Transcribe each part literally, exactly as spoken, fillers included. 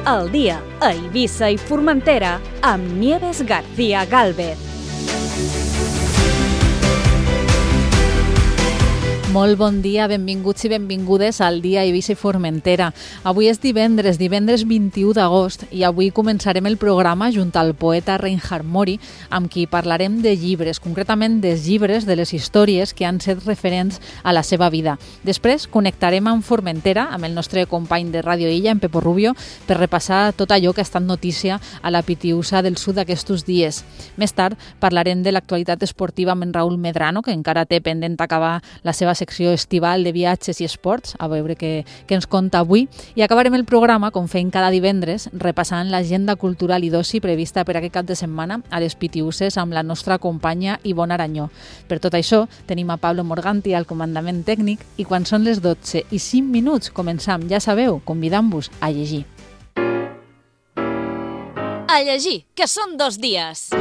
al dia a Eivissa i Formentera amb Nieves García Gálvez. Molt bon dia, benvinguts i benvingudes al dia a Eivissa i Formentera. Avui és divendres, divendres vint-i-u d'agost, i avui començarem el programa junt al poeta Reinhard Mori, amb qui parlarem de llibres, concretament dels llibres de les històries que han set referents a la seva vida. Després connectarem amb Formentera, amb el nostre company de Ràdio Illa, en Pepo Rubio, per repassar tot allò que ha estat notícia a la Pitiusa del Sud aquests dies. Més tard parlarem de l'actualitat esportiva amb en Raül Medrano, que encara té pendent acabar la seva secció estival de viatges i esports, a veure què, què ens conta avui, i acabarem el programa, com fem cada divendres, repassant l'agenda cultural i d'oci prevista per aquest cap de setmana a les Pitiuses amb la nostra companya Ivonne Aranyó. Per tot això, tenim a Pablo Morganti al comandament tècnic, i quan són les dotze i cinc minuts començam, ja sabeu, convidant-vos a llegir. A llegir, que són dos dies.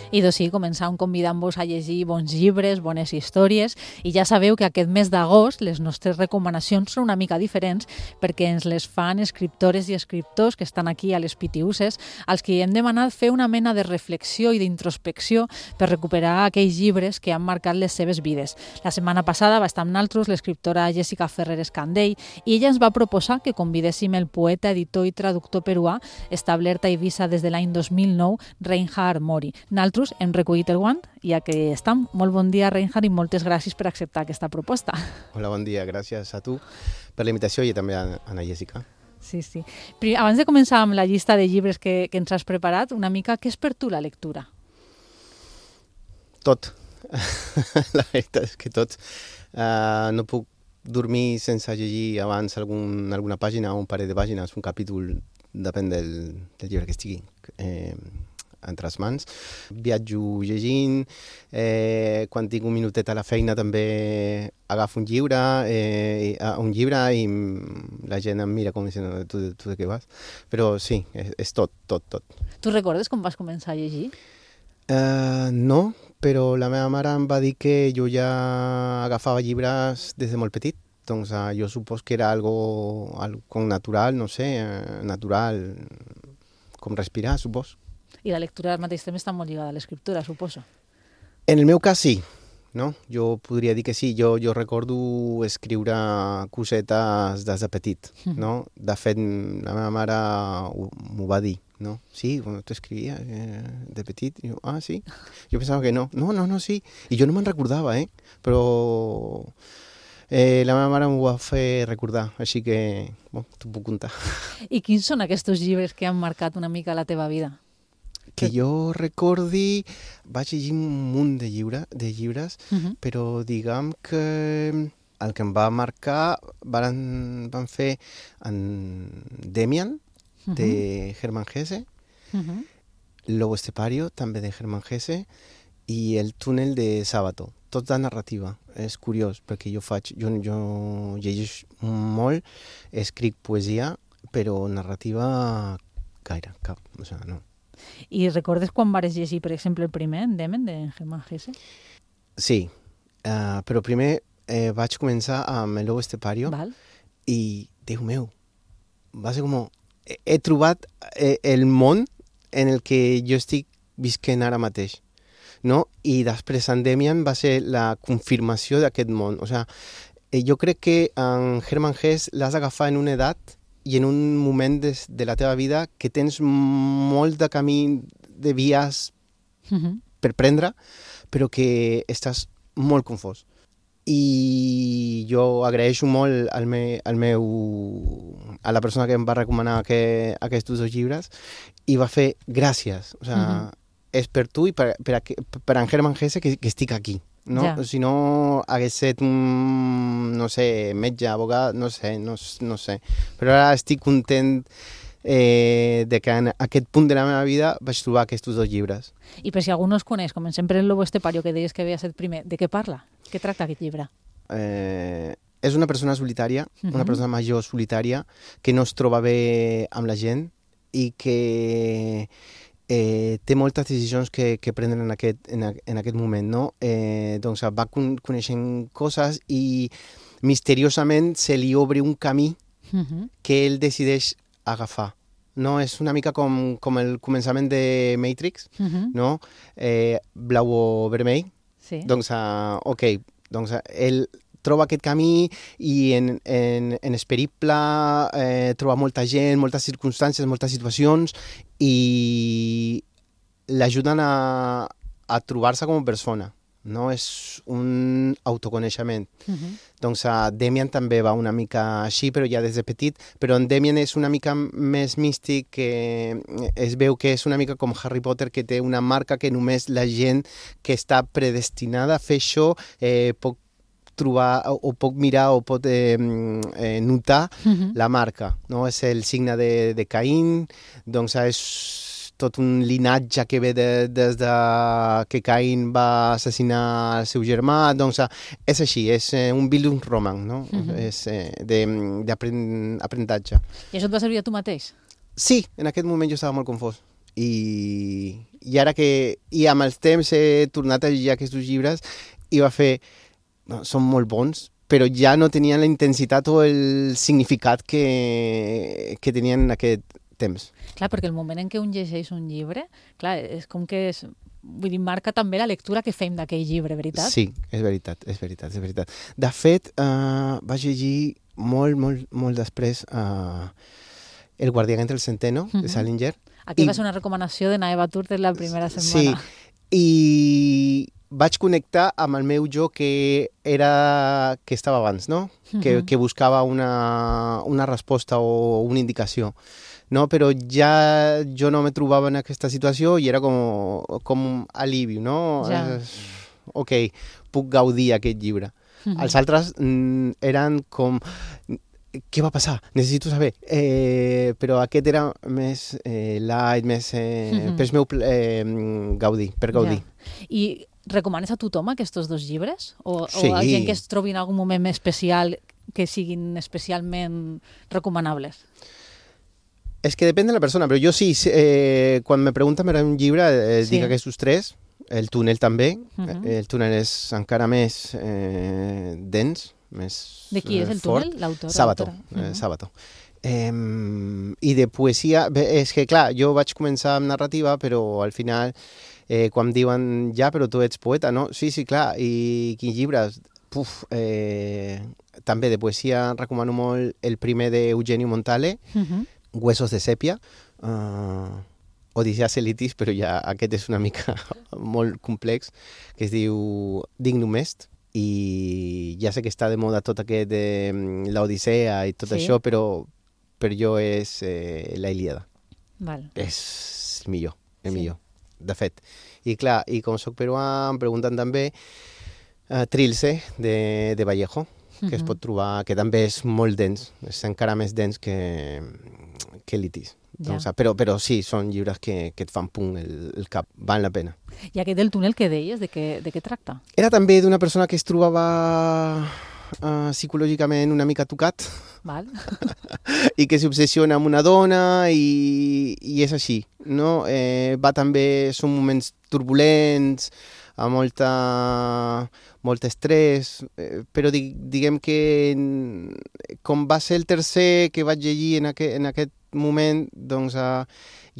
I doncs sí, començam convidant-vos a llegir bons llibres, bones històries, i ja sabeu que aquest mes d'agost les nostres recomanacions són una mica diferents perquè ens les fan escriptores i escriptors que estan aquí a les Pitiuses, als que hem demanat fer una mena de reflexió i d'introspecció per recuperar aquells llibres que han marcat les seves vides. La setmana passada va estar amb nosaltres l'escriptora Jessica Ferrer Escandell i ella ens va proposar que convidéssim el poeta, editor i traductor peruà, establert a Eivissa des de l'any dos mil nou, Reinhard Mori. Nosaltres hem recollit el guant i aquí estem. Molt bon dia, Reinhard, i moltes gràcies per acceptar aquesta proposta. Hola, bon dia. Gràcies a tu per la invitació i també a Ana Jessica. Sí, sí. Però abans de començar amb la llista de llibres que, que ens has preparat, una mica, què és per tu la lectura? Tot. La veritat és que tot. Uh, no puc dormir sense llegir abans algun, alguna pàgina o un parell de pàgines, un capítol, depèn del, del llibre que estigui eh, entre les mans. Viatjo llegint, eh, quan tinc un minutet a la feina també agafo un llibre, eh, un llibre i la gent em mira com dient, tu, tu de què vas? Però sí, és, és tot, tot, tot. Tu recordes com vas començar a llegir? Uh, no, però la meva mare em va dir que jo ja agafava llibres des de molt petit. Doncs uh, jo supos que era algo, algo natural, no sé, uh, natural, com respirar, supos. I la lectura al mateix temps està molt lligada a l'escriptura, suposo. En el meu cas sí, no? Jo podria dir que sí. Jo, jo recordo escriure cosetes des de petit, no? De fet, la meva mare m'ho va dir, no? Sí, bueno, tu escrivies eh, de petit. I jo, ah, sí? Jo pensava que no. No, no, no, sí. I jo no me'n recordava, eh? Però eh, la meva mare m'ho va fer recordar, així que, bon, t'ho puc contar. I quins són aquests llibres que han marcat una mica la teva vida? Que jo recordi, vaig llegir un munt de, llibre, de llibres, uh-huh. Però diguem que el que em va marcar van, van fer en Demian, uh-huh. De Hermann Hesse, uh-huh. Lobo Estepario, també de Hermann Hesse, i El túnel de Sábato. Tot de narrativa. És curiós, perquè jo faig, jo, jo llegeix molt, escric poesia, però narrativa gaire, cap, o sigui, no. I recordes quan vares llegir, per exemple, el primer, en Demen, de Hermann Hesse? Sí, uh, però primer eh, vaig començar amb El Lobo Estepario. Val. I, Déu meu, va ser com... He, he trobat eh, el món en el que jo estic visquent ara mateix, no? I després en Demian va ser la confirmació d'aquest món. O sigui, eh, jo crec que en Hermann Hesse l'has d'agafar en una edat i en un moment de, de la teva vida que tens molt de camí, de vies uh-huh. per prendre, però que estàs molt confós. I jo agraeixo molt al, me, al meu, a la persona que em va recomanar que, aquests dos llibres i va fer gràcies. O sigui, uh-huh. És per tu i per, per, per en Hermann Hesse que, que estic aquí. No? Ja. Si no hagués estat un, no sé, metge, abogat, no sé, no, no sé. Però ara estic content eh, de que en aquest punt de la meva vida vaig trobar aquests dos llibres. I per si algú no els coneix, comencem per El Lobo Estepario, que deies que havia estat primer, de què parla? Què tracta aquest llibre? Eh, és una persona solitària, uh-huh. una persona major solitària, que no es troba bé amb la gent i que eh, té moltes decisions que, que prenen en aquest, en, en aquest moment, no? Eh, doncs va con coneixent coses i misteriosament se li obre un camí uh-huh. que ell decideix agafar. No? És una mica com, com el començament de Matrix, uh-huh. no? Eh, blau o vermell. Sí. Doncs, uh, ok, doncs uh, ell troba aquest camí i en, en, en es periple eh, troba molta gent, moltes circumstàncies, moltes situacions i l'ajuden a, a trobar-se com a persona. No? És un autoconeixement. Uh-huh. Doncs uh, Demian també va una mica així, però ja des de petit, però en Demian és una mica més místic, que es veu que és una mica com Harry Potter, que té una marca que només la gent que està predestinada a fer això eh, pot trobar o pot mirar o pot eh, eh, notar uh-huh. la marca. No? És el signe de, de Caín, doncs és tot un linatge que ve de, des de que Caín va assassinar el seu germà, doncs és així, és un Bildungsroman, no? Uh-huh. És eh, d'aprenentatge. I això et va servir a tu mateix? Sí, en aquest moment jo estava molt confós. I, i ara que i amb els temps he tornat a llegir aquests llibres i va fer... No, són molt bons, però ja no tenien la intensitat o el significat que, que tenien en aquest temps. Clar, perquè el moment en què un llegeix un llibre, clar, és com que és... Vull dir, marca també la lectura que fem d'aquell llibre, veritat? Sí, és veritat, és veritat, és veritat. De fet, uh, vaig llegir molt, molt, molt després uh, El guardián entre el centeno, uh-huh. de Salinger. Aquí I... va ser una recomanació de Naeva Turtes la primera setmana. Sí, i vaig connectar amb el meu jo que era que estava abans, no? Uh-huh. Que, que buscava una, una resposta o una indicació. No, però ja jo no me trobava en aquesta situació i era com, com un alivi, no? Ja. Ok, puc gaudir aquest llibre. Uh-huh. Els altres mm, eren com... Què va passar? Necessito saber. Eh, però aquest era més eh, light, més... Eh, uh-huh. per meu eh, gaudir, per gaudir. Ja. I recomanes a tothom aquests dos llibres? O, sí. o a gent que es trobi en algun moment especial que siguin especialment recomanables? És que depèn de la persona, però jo sí, eh, quan me pregunten per un llibre, eh, sí. dic aquests tres, el túnel també, uh-huh. el túnel és encara més eh, dens, més de qui és el fort. túnel? L'autor? Sábato, uh-huh. eh, Sábato. Eh, I de poesia, bé, és que clar, jo vaig començar amb narrativa, però al final, eh, quan em diuen, ja, però tu ets poeta, no? Sí, sí, clar, i quins llibres? Puf, eh, també de poesia recomano molt el primer d'Eugenio Montale, uh-huh. Huesos de sèpia, uh, Odiseas Elitis, però ja aquest és una mica molt complex, que es diu Dignum Est, i ja sé que està de moda tot aquest de l'Odissea i tot sí. això, però per jo és eh, la Ilíada. Val. És el millor, el sí. millor, de fet. I clar, i com soc peruà, em pregunten també uh, Trilce, de, de Vallejo, que uh-huh. es pot trobar, que també és molt dens, és encara més dens que, que Litis. Ja. Doncs, però, però sí, són llibres que, que et fan punt el, el cap, val la pena. I aquest del túnel que deies, de què, de què tracta? Era també d'una persona que es trobava uh, psicològicament una mica tocat. Val. I que s'obsessiona amb una dona i, i és així, no? Eh, va també, són moments turbulents, amb molta, molt estrès, eh, però di, diguem que com va ser el tercer que vaig llegir en, aqu en aquest moment, doncs uh,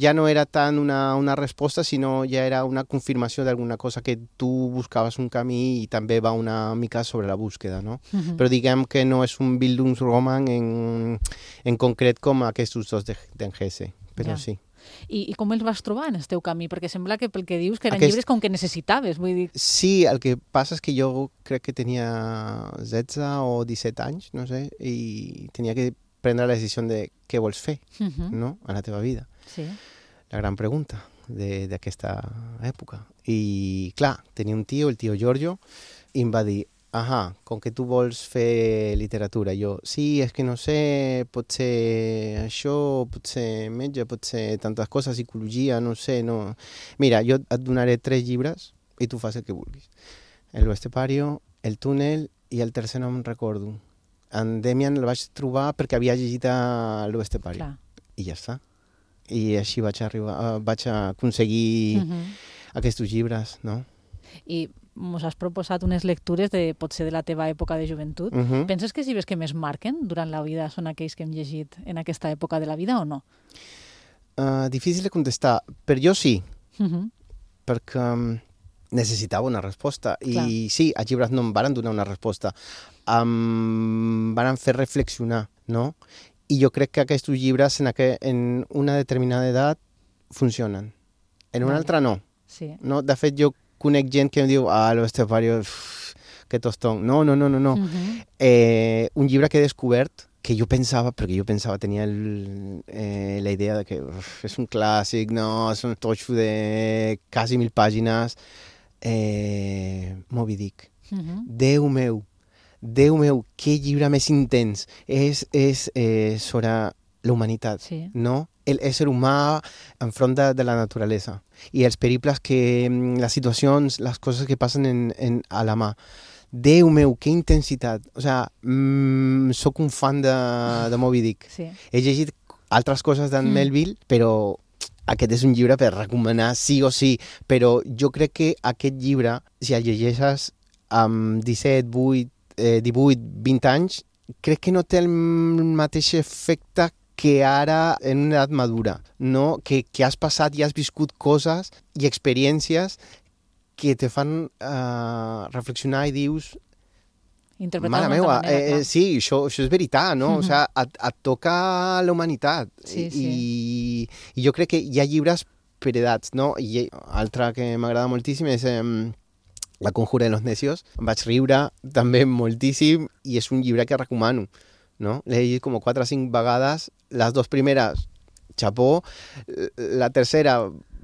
ja no era tant una, una resposta, sinó ja era una confirmació d'alguna cosa que tu buscaves un camí i també va una mica sobre la búsqueda, no? Uh-huh. Però diguem que no és un Bildungsroman en, en concret com aquests dos d'en Hesse, però ja. sí. I, I com els vas trobar en el teu camí? Perquè sembla que pel que dius que eren Aquest... llibres com que necessitaves, vull dir... Sí, el que passa és que jo crec que tenia setze o disset anys, no sé, i tenia que prendre la decisió de què vols fer, uh-huh. no?, a la teva vida. Sí. La gran pregunta d'aquesta època. I, clar, tenia un tio, el tio Giorgio, i em va dir, ahà, com que tu vols fer literatura. Jo, sí, és que no sé, pot ser això, pot ser metge, pot ser tantes coses, psicologia, no sé, no... Mira, jo et donaré tres llibres i tu fas el que vulguis. El Estepario, el túnel i el tercer no em recordo. En Demian el vaig trobar perquè havia llegit a l'Estepario. I ja està. i així vaig, arribar, vaig aconseguir uh-huh. aquests llibres, no? I mos has proposat unes lectures de, potser de la teva època de joventut. Uh-huh. Penses que els llibres que més marquen durant la vida són aquells que hem llegit en aquesta època de la vida o no? Uh, difícil de contestar, però jo sí, uh-huh. perquè um, necessitava una resposta. Clar. I sí, els llibres no em van donar una resposta, em van fer reflexionar, no? I jo crec que aquests llibres en, aqu... en una determinada edat funcionen. En una vale. Altra no. Sí. no. De fet, jo conec gent que em diu ah, lo estepario, que tostón. No, no, no, no. no. Uh-huh. eh, un llibre que he descobert que jo pensava, perquè jo pensava, tenia el, eh, la idea de que uf, és un clàssic, no, és un totxo de quasi mil pàgines. Eh, Moby Dick. Uh-huh. Déu meu, Déu meu, que llibre més intens. És, és eh, sobre la humanitat, sí. no? L'ésser humà enfront de, de la naturalesa i els periples que, les situacions, les coses que passen en, en, a la mà. Déu meu, que intensitat. O sea, mm, soc un fan de, de Moby Dick. Sí. He llegit altres coses d'en mm. Melville, però aquest és un llibre per recomanar sí o sí. Però jo crec que aquest llibre, si el llegeixes amb disset, vuit, eh, divuit, vint anys, crec que no té el mateix efecte que ara en una edat madura, no? Que, que has passat i has viscut coses i experiències que te fan uh, reflexionar i dius... Interpretar mare meva, manera, eh, sí, això, això és veritat, no? Mm-hmm. O sea, et, et toca la humanitat. Sí, I, sí. I jo crec que hi ha llibres per edats, no? I altra que m'agrada moltíssim és... Eh, La conjura de los necios. Em vaig riure també moltíssim i és un llibre que recomano, no? L'he llegit com quatre o cinc vegades. Les dues primeres, xapó. La tercera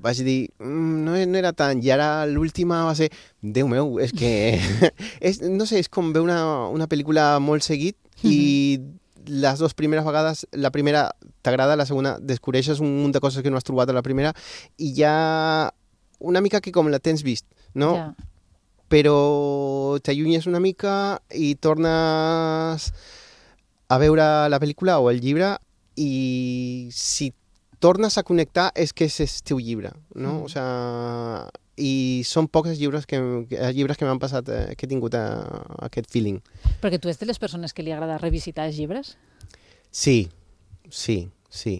vaig dir, mm, no, no era tant. I ara l'última va ser, Déu meu, és que... és, no sé, és com veure una, una pel·lícula molt seguit i les dues primeres vegades, la primera t'agrada, la segona descobreixes un munt de coses que no has trobat a la primera i ja una mica que com la tens vist, no? Ja. Però t'allunyes una mica i tornes a veure la pel·lícula o el llibre i si tornes a connectar és que és el teu llibre, no? Mm. O sea, i són pocs els llibres que, els llibres que m'han passat, eh, que he tingut a, a aquest feeling. Perquè tu ets de les persones que li agrada revisitar els llibres? Sí, sí, sí.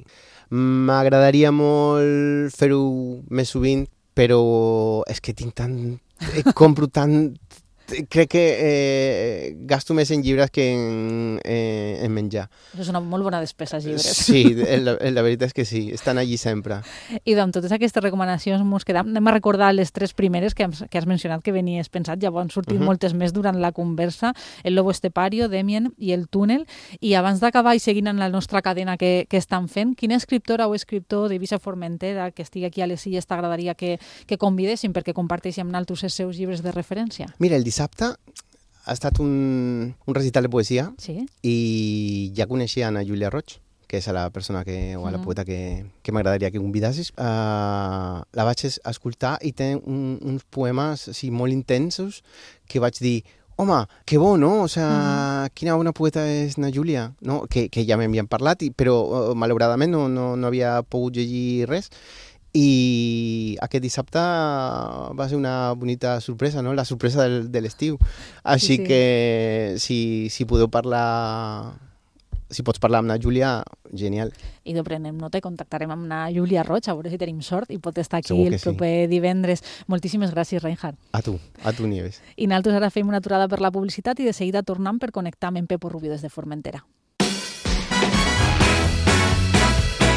M'agradaria molt fer-ho més sovint, però és que tinc tant... compro tant... Crec que eh, gasto més en llibres que en, eh, en menjar. És una molt bona despesa, els llibres. Sí, la, la veritat és que sí, estan allí sempre. I amb totes aquestes recomanacions mos quedam. Anem a recordar les tres primeres que, que has mencionat que venies pensat, ja han sortit uh-huh. moltes més durant la conversa, El lobo estepario, Demian i El túnel. I abans d'acabar i seguint en la nostra cadena que, que estan fent, quina escriptora o escriptor d'Eivissa Formentera que estigui aquí a les Illes t'agradaria que, que convidessin perquè comparteixi amb naltros els seus llibres de referència? Mira, el dissabte ha estat un, un recital de poesia sí? i ja coneixia Ana Júlia Roig, que és a la persona que, o a la poeta que, que m'agradaria que convidassis. Uh, la vaig escoltar i té un, uns poemes sí, molt intensos que vaig dir, home, que bo, no? O sea, mm. quina bona poeta és Ana Júlia, no? Que, que ja m'havien parlat, i, però uh, malauradament no, no, no havia pogut llegir res. I aquest dissabte va ser una bonita sorpresa, no? La sorpresa del, de l'estiu. Així sí, sí. que si, si podeu parlar, si pots parlar amb na Júlia, genial. I no prenem nota i contactarem amb na Júlia Roig, a veure si tenim sort i pot estar aquí Segur el proper sí. divendres. Moltíssimes gràcies, Reinhard. A tu, a tu, Nieves. I nosaltres ara fem una aturada per la publicitat i de seguida tornem per connectar amb en Pepo Rubio des de Formentera.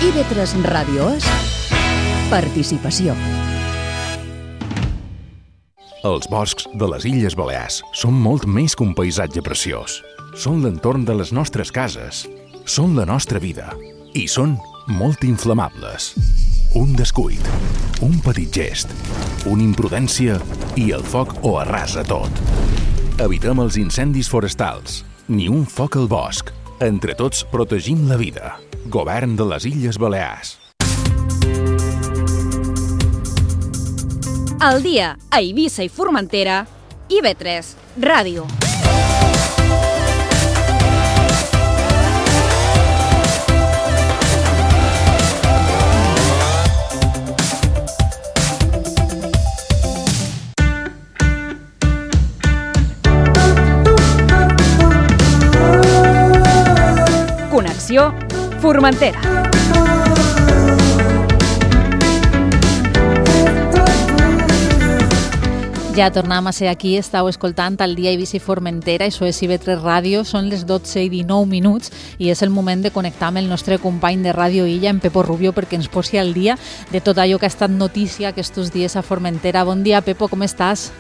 I ve tres Ràdio és participació. Els boscs de les Illes Balears són molt més que un paisatge preciós. Són l'entorn de les nostres cases, són la nostra vida i són molt inflamables. Un descuit, un petit gest, una imprudència i el foc ho arrasa tot. Evitem els incendis forestals, ni un foc al bosc. Entre tots protegim la vida. Govern de les Illes Balears. Al dia a Eivissa i Formentera, I ve tres Ràdio. Ràdio, Formentera. Ja tornem a ser aquí, estàu escoltant el Dia Eivissa i Formentera, això és I V tres Ràdio, són les dotze i dinou minuts i és el moment de connectar amb el nostre company de Ràdio Illa, en Pepo Rubio, perquè ens posi al dia de tot allò que ha estat notícia aquests dies a Formentera. Bon dia, Pepo, com estàs?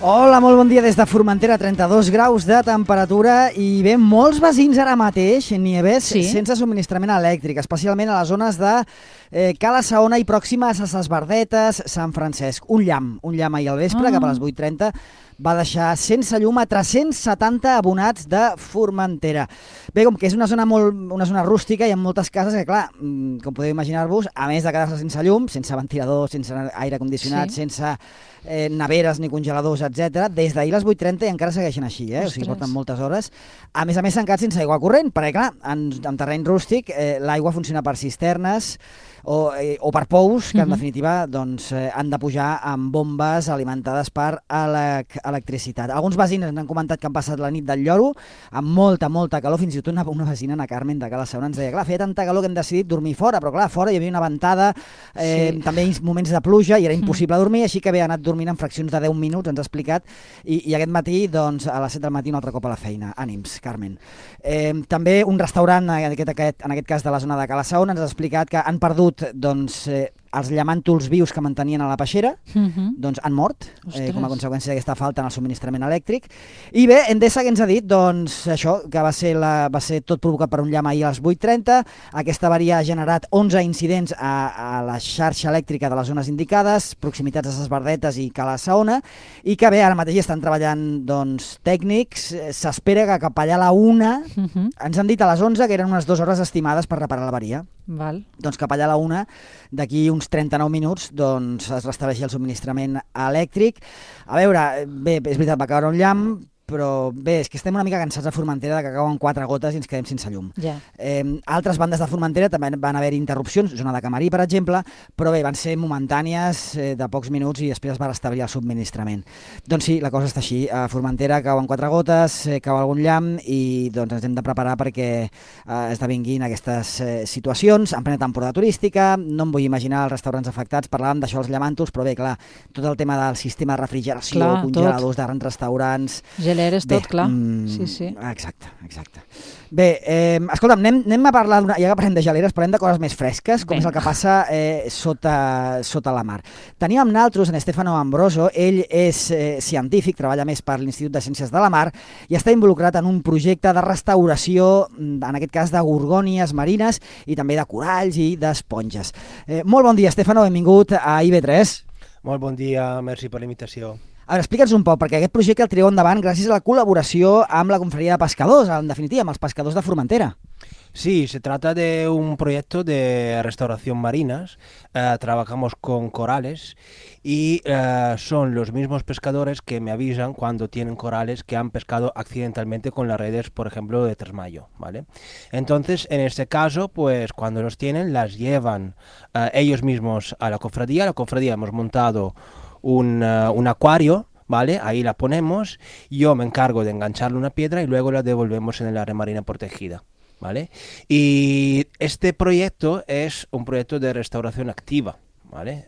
Hola, molt bon dia des de Formentera, trenta-dos graus de temperatura i bé, molts veïns ara mateix, Nieves, sí? sense subministrament elèctric, especialment a les zones de eh, Cala Saona i pròximes a Ses Verdetes, Sant Francesc. Un llamp, un llamp ahir al vespre, ah. cap a les vuit trenta, va deixar sense llum a tres-cents setanta abonats de Formentera. Bé, com que és una zona molt, una zona rústica, hi ha moltes cases que, clar, com podeu imaginar-vos, a més de quedar-se sense llum, sense ventilador, sense aire condicionat, sí. sense eh, neveres ni congeladors, etcètera, des d'ahir a les vuit trenta i encara segueixen així, eh? O sigui, porten moltes hores. A més a més, s'han quedat sense aigua corrent, perquè, clar, en, en terreny rústic eh, l'aigua funciona per cisternes, o, eh, o per pous, que en uh-huh. definitiva doncs, eh, han de pujar amb bombes alimentades per elec electricitat. Alguns veïns han comentat que han passat la nit del lloro amb molta, molta calor, fins i tot una, una vecina, Ana Carmen de Cala Saona, ens deia, clar, feia tanta calor que hem decidit dormir fora, però clar, fora hi havia una ventada, eh, sí. també moments de pluja i era impossible uh-huh. dormir, així que havia anat dormint en fraccions de deu minuts, ens ha explicat, i, i aquest matí, doncs, a les set del matí un altre cop a la feina. Ànims, Carmen. Eh, també un restaurant, en aquest, aquest, en aquest cas de la zona de Cala Saona, ens ha explicat que han perdut doncs, eh, els llamàntols vius que mantenien a la peixera, uh-huh. doncs han mort, eh, com a conseqüència d'aquesta falta en el subministrament elèctric. I bé, Endesa que ens ha dit doncs, això, que va ser, la, va ser tot provocat per un llamp ahir a les vuit trenta. Aquesta avaria ha generat onze incidents a, a la xarxa elèctrica de les zones indicades, proximitats a Ses Verdetes i Cala Saona, i que bé, ara mateix estan treballant doncs, tècnics. S'espera que cap allà a la una, uh-huh. ens han dit a les onze que eren unes dues hores estimades per reparar l'avaria. Val. Doncs cap allà a la una, d'aquí uns trenta-nou minuts, doncs es restableix el subministrament elèctric. A veure, bé, és veritat, va caure un llamp, però bé, és que estem una mica cansats a Formentera de que cauen quatre gotes i ens quedem sense llum. Yeah. Eh, altres bandes de Formentera també van haver interrupcions, zona de Camarí, per exemple, però bé, van ser momentànies, eh, de pocs minuts i després es va restablir el subministrament. Doncs sí, la cosa està així. A Formentera cauen quatre gotes, eh, cau algun llamp i doncs ens hem de preparar perquè eh, esdevinguin aquestes eh, situacions en plena temporada turística. No em vull imaginar els restaurants afectats, parlàvem d'això, els llamàntols, però bé, clar, tot el tema del sistema de refrigeració, clar, congeladors de grans restaurants... Geleres, tot, bé, clar. Mm, sí, sí. Exacte, exacte. Bé, eh, escolta'm, anem, anem a parlar, ja que parlem de geleres, parlem de coses més fresques, com Venga. És el que passa eh, sota, sota la mar. Tenim amb naltros en Stefano Ambroso, ell és eh, científic, treballa més per l'Institut de Ciències de la Mar i està involucrat en un projecte de restauració, en aquest cas de gorgònies marines i també de coralls i d'esponges. Eh, molt bon dia, Stefano, benvingut a I V tres. Molt bon dia, merci per la invitació. A veure, explica'ns un poc, perquè aquest projecte el tireu endavant gràcies a la col·laboració amb la Confraria de Pescadors, en definitiva, amb els pescadors de Formentera. Sí, se trata de un proyecto de restauración marinas. Eh, trabajamos con corales y eh, son los mismos pescadores que me avisan cuando tienen corales que han pescado accidentalmente con las redes, por ejemplo, de Tresmayo, ¿vale? Entonces, en este caso, pues cuando los tienen, las llevan eh, ellos mismos a la cofradía. La cofradía hemos montado un, uh, un acuario, ¿vale? Ahí la ponemos, yo me encargo de engancharle una piedra y luego la devolvemos en el área marina protegida, ¿vale? Y este proyecto es un proyecto de restauración activa, ¿vale?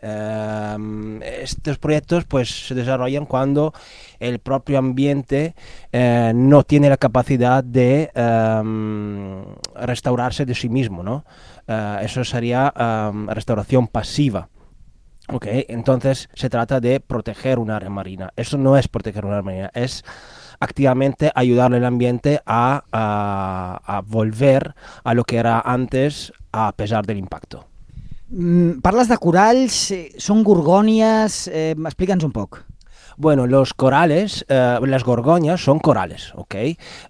Um, estos proyectos pues se desarrollan cuando el propio ambiente eh, no tiene la capacidad de um, restaurarse de sí mismo, ¿no? Uh, eso sería um, restauración pasiva. Ok, entonces se trata de proteger un área marina. Eso no es proteger un área marina, es activamente ayudarle al ambiente a, a, a volver a lo que era antes a pesar del impacto. Mm, parles de coralls, són gorgònies, eh, explica'ns un poc. Bueno, los corales, eh, las gorgonias son corales, ¿ok?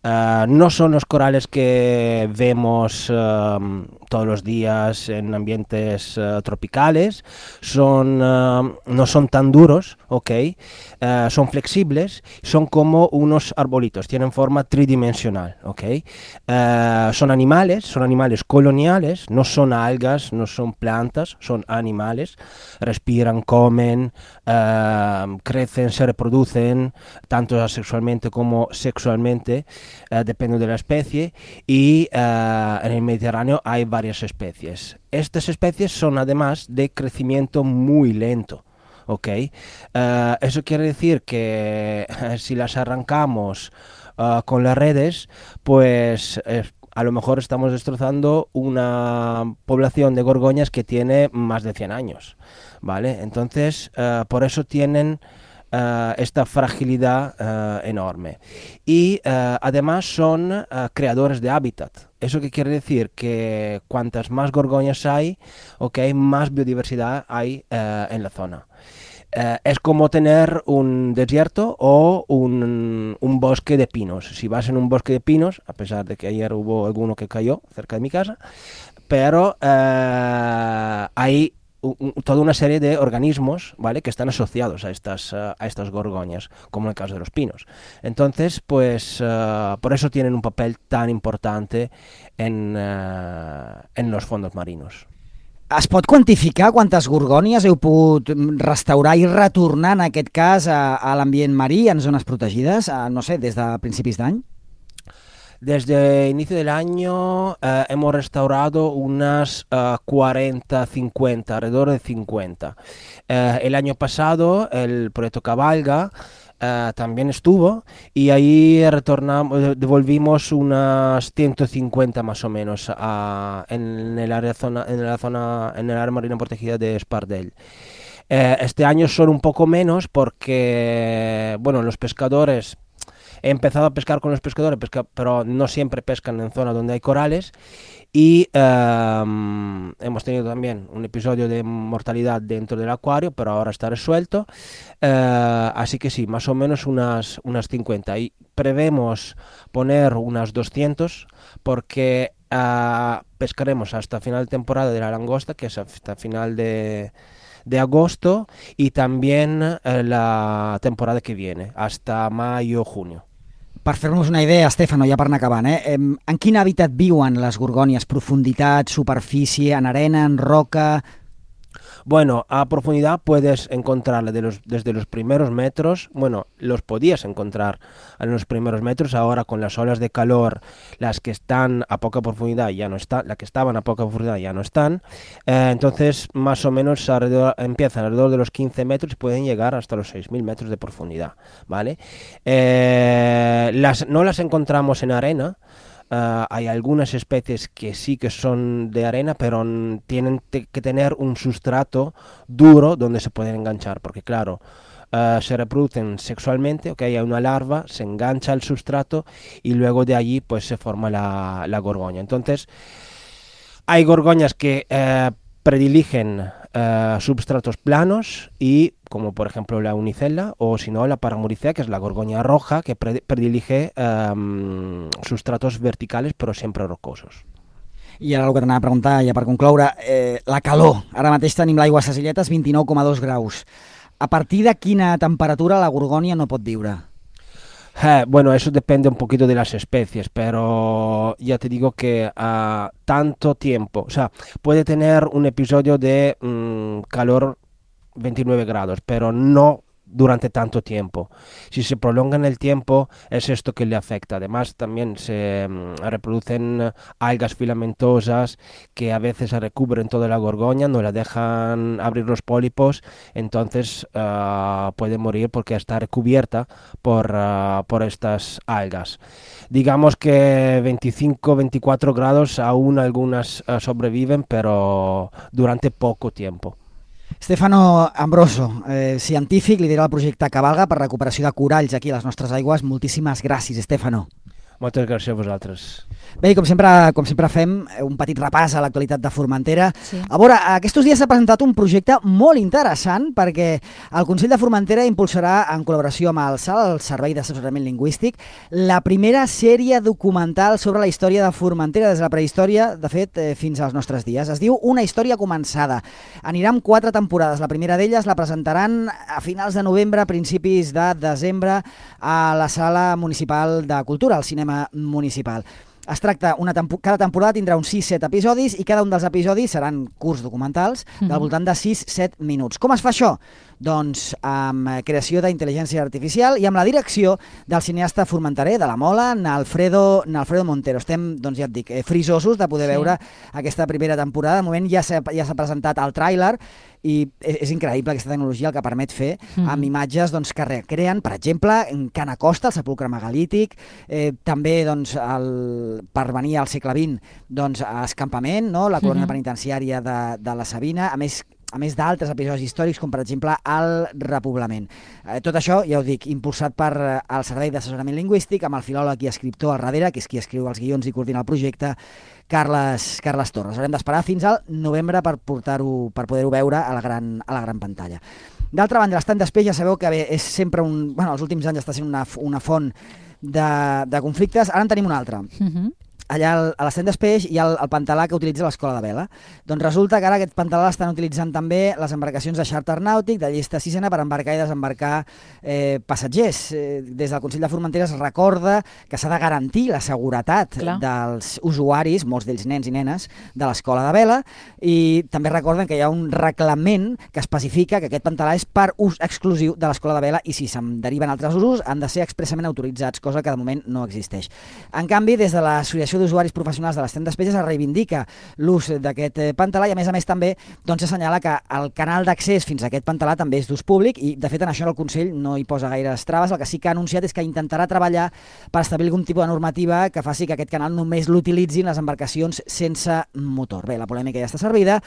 Uh, no son los corales que vemos uh, todos los días en ambientes uh, tropicales, son, uh, no son tan duros, ¿ok? Uh, son flexibles, son como unos arbolitos, tienen forma tridimensional, ¿ok? Uh, son animales, son animales coloniales, no son algas, no son plantas, son animales, respiran, comen, uh, crecen, se reproducen tanto asexualmente como sexualmente, uh, depende de la especie, y uh, en el Mediterráneo hay varias especies. Estas especies son además de crecimiento muy lento. ¿Ok? Uh, eso quiere decir que uh, si las arrancamos uh, con las redes, pues eh, a lo mejor estamos destrozando una población de gorgoñas que tiene más de cien años, ¿vale? Entonces, uh, por eso tienen uh, esta fragilidad uh, enorme. Y uh, además son uh, creadores de hábitat. ¿Eso qué quiere decir? Que cuantas más gorgoñas hay, okay, más biodiversidad hay uh, en la zona. Uh, es como tener un desierto o un, un bosque de pinos. Si vas en un bosque de pinos, a pesar de que ayer hubo alguno que cayó cerca de mi casa, pero uh, hay un, toda una serie de organismos, ¿vale?, que están asociados a estas, uh, a estas gorgoñas, como en el caso de los pinos. Entonces, pues, uh, por eso tienen un papel tan importante en, uh, en los fondos marinos. Es pot quantificar quantes gorgònies heu pogut restaurar i retornar, en aquest cas, a, a l'ambient marí en zones protegides, a, no sé, des de principis d'any? Desde inicio del año eh, hemos restaurado unas uh, cuarenta, cincuenta, alrededor de cincuenta. Eh, el año pasado el proyecto Cabalga Uh, también estuvo y ahí retornamos, devolvimos unas ciento cincuenta más o menos a, en el área zona, en la zona, en el área marina protegida de Espardell. Uh, este año son un poco menos porque, bueno, los pescadores, he empezado a pescar con los pescadores, pesca, pero no siempre pescan en zonas donde hay corales. Y um, hemos tenido también un episodio de mortalidad dentro del acuario, pero ahora está resuelto. Uh, así que sí, más o menos unas, unas cincuenta. Y prevemos poner unas doscientas porque uh, pescaremos hasta final de temporada de la langosta, que es hasta final de, de agosto, y también uh, la temporada que viene, hasta mayo, junio. Per fer-nos una idea, Stefano, ja per anar acabant, eh? En quin hàbitat viuen les gorgònies? Profunditat, superfície, en arena, en roca? Bueno, a profundidad puedes encontrarla de los, desde los primeros metros, bueno, los podías encontrar en los primeros metros, ahora con las olas de calor, las que están a poca profundidad ya no están, las que estaban a poca profundidad ya no están, eh, entonces más o menos alrededor, empiezan alrededor de los quince metros y pueden llegar hasta los seis mil metros de profundidad, ¿vale? Eh, las, no las encontramos en arena. Uh, hay algunas especies que sí que son de arena, pero n- tienen te- que tener un sustrato duro donde se pueden enganchar, porque claro, uh, se reproducen sexualmente, okay, hay una larva, se engancha al sustrato y luego de allí pues se forma la, la gorgoña. Entonces, hay gorgoñas que uh, prediligen uh, substratos planos y como por ejemplo la unicella, o si no la Paramuricea, que es la gorgoña roja, que pre- predilige um, sustratos verticales però sempre rocosos. I ara el que t'anava a preguntar, ja per concloure, eh, la calor. Ara mateix tenim l'aigua a Ses Illetes, vint-i-nou coma dos graus. A partir de quina temperatura la gorgònia no pot viure? Eh, bueno, eso depende un poquito de las especies, pero ya te digo que uh, tanto tiempo, o sea, puede tener un episodio de um, calor veintinueve grados, pero no durante tanto tiempo. Si se prolonga en el tiempo, es esto que le afecta. Además, también se um, reproducen algas filamentosas que a veces recubren toda la gorgoña, no la dejan abrir los pólipos, entonces uh, puede morir porque está recubierta por, uh, por estas algas. Digamos que veinticinco, veinticuatro grados aún algunas uh, sobreviven, pero durante poco tiempo. Stefano Ambroso, eh, científic, lidera el projecte Cabalga per recuperació de coralls aquí a les nostres aigües. Moltíssimes gràcies, Stefano. Moltes gràcies a vosaltres. Bé, com sempre, com sempre fem, un petit repàs a l'actualitat de Formentera. Sí. A veure, aquests dies s'ha presentat un projecte molt interessant perquè el Consell de Formentera impulsarà, en col·laboració amb el S A L, el Servei d'Assessorament Lingüístic, la primera sèrie documental sobre la història de Formentera, des de la prehistòria, de fet, eh, fins als nostres dies. Es diu Una història començada. Anirà amb quatre temporades. La primera d'elles la presentaran a finals de novembre, a principis de desembre, a la Sala Municipal de Cultura, al Cinema Municipal. Es tracta, una tempo- cada temporada tindrà uns sis set episodis i cada un dels episodis seran curts documentals del voltant de sis set minuts. Com es fa això? doncs, amb creació d'intel·ligència artificial i amb la direcció del cineasta formenterè de la Mola, Nalfredo, Nalfredo Montero. Estem, doncs ja et dic, frisosos de poder sí. veure aquesta primera temporada. De moment ja s'ha ja s'ha presentat el tràiler i és, és increïble aquesta tecnologia el que permet fer mm. amb imatges doncs, que recreen, per exemple, en Can Acosta, el sepulcre megalític, eh, també doncs, el, per venir al segle vint, doncs, a Escampament, no? La colònia mm-hmm. penitenciària de, de la Sabina, a més a més d'altres episodis històrics, com per exemple el repoblament. Eh, tot això, ja ho dic, impulsat per eh, el Servei d'Assessorament Lingüístic, amb el filòleg i escriptor al darrere, que és qui escriu els guions i coordina el projecte, Carles, Carles Torres. Haurem d'esperar fins al novembre per portar-ho, per poder-ho veure a la gran, a la gran pantalla. D'altra banda, l'Estany d'Espeix, ja sabeu que bé, és sempre un... Bueno, els últims anys està sent una, una font de, de conflictes. Ara en tenim un altre. Mm-hmm. Allà a l'Estany d'Espeix hi ha el, el pantalà que utilitza l'Escola de Vela. Doncs resulta que ara aquest pantalà l'estan utilitzant també les embarcacions de xàrter nàutic de llista sisena per embarcar i desembarcar eh, passatgers. Eh, des del Consell de Formentera es recorda que s'ha de garantir la seguretat Clar. dels usuaris, molts d'ells nens i nenes, de l'Escola de Vela, i també recorden que hi ha un reglament que especifica que aquest pantalà és per ús exclusiu de l'Escola de Vela i si se'n deriven altres usos han de ser expressament autoritzats, cosa que de moment no existeix. En canvi, des de l'Associació d'Usuaris Professionals de l'Estany d'Espeix es reivindica l'ús d'aquest pantalà i a més a més també doncs, assenyala que el canal d'accés fins a aquest pantalà també és d'ús públic i de fet en això el Consell no hi posa gaires traves. El que sí que ha anunciat és que intentarà treballar per establir algun tipus de normativa que faci que aquest canal només l'utilitzin les embarcacions sense motor. Bé, la polèmica ja està servida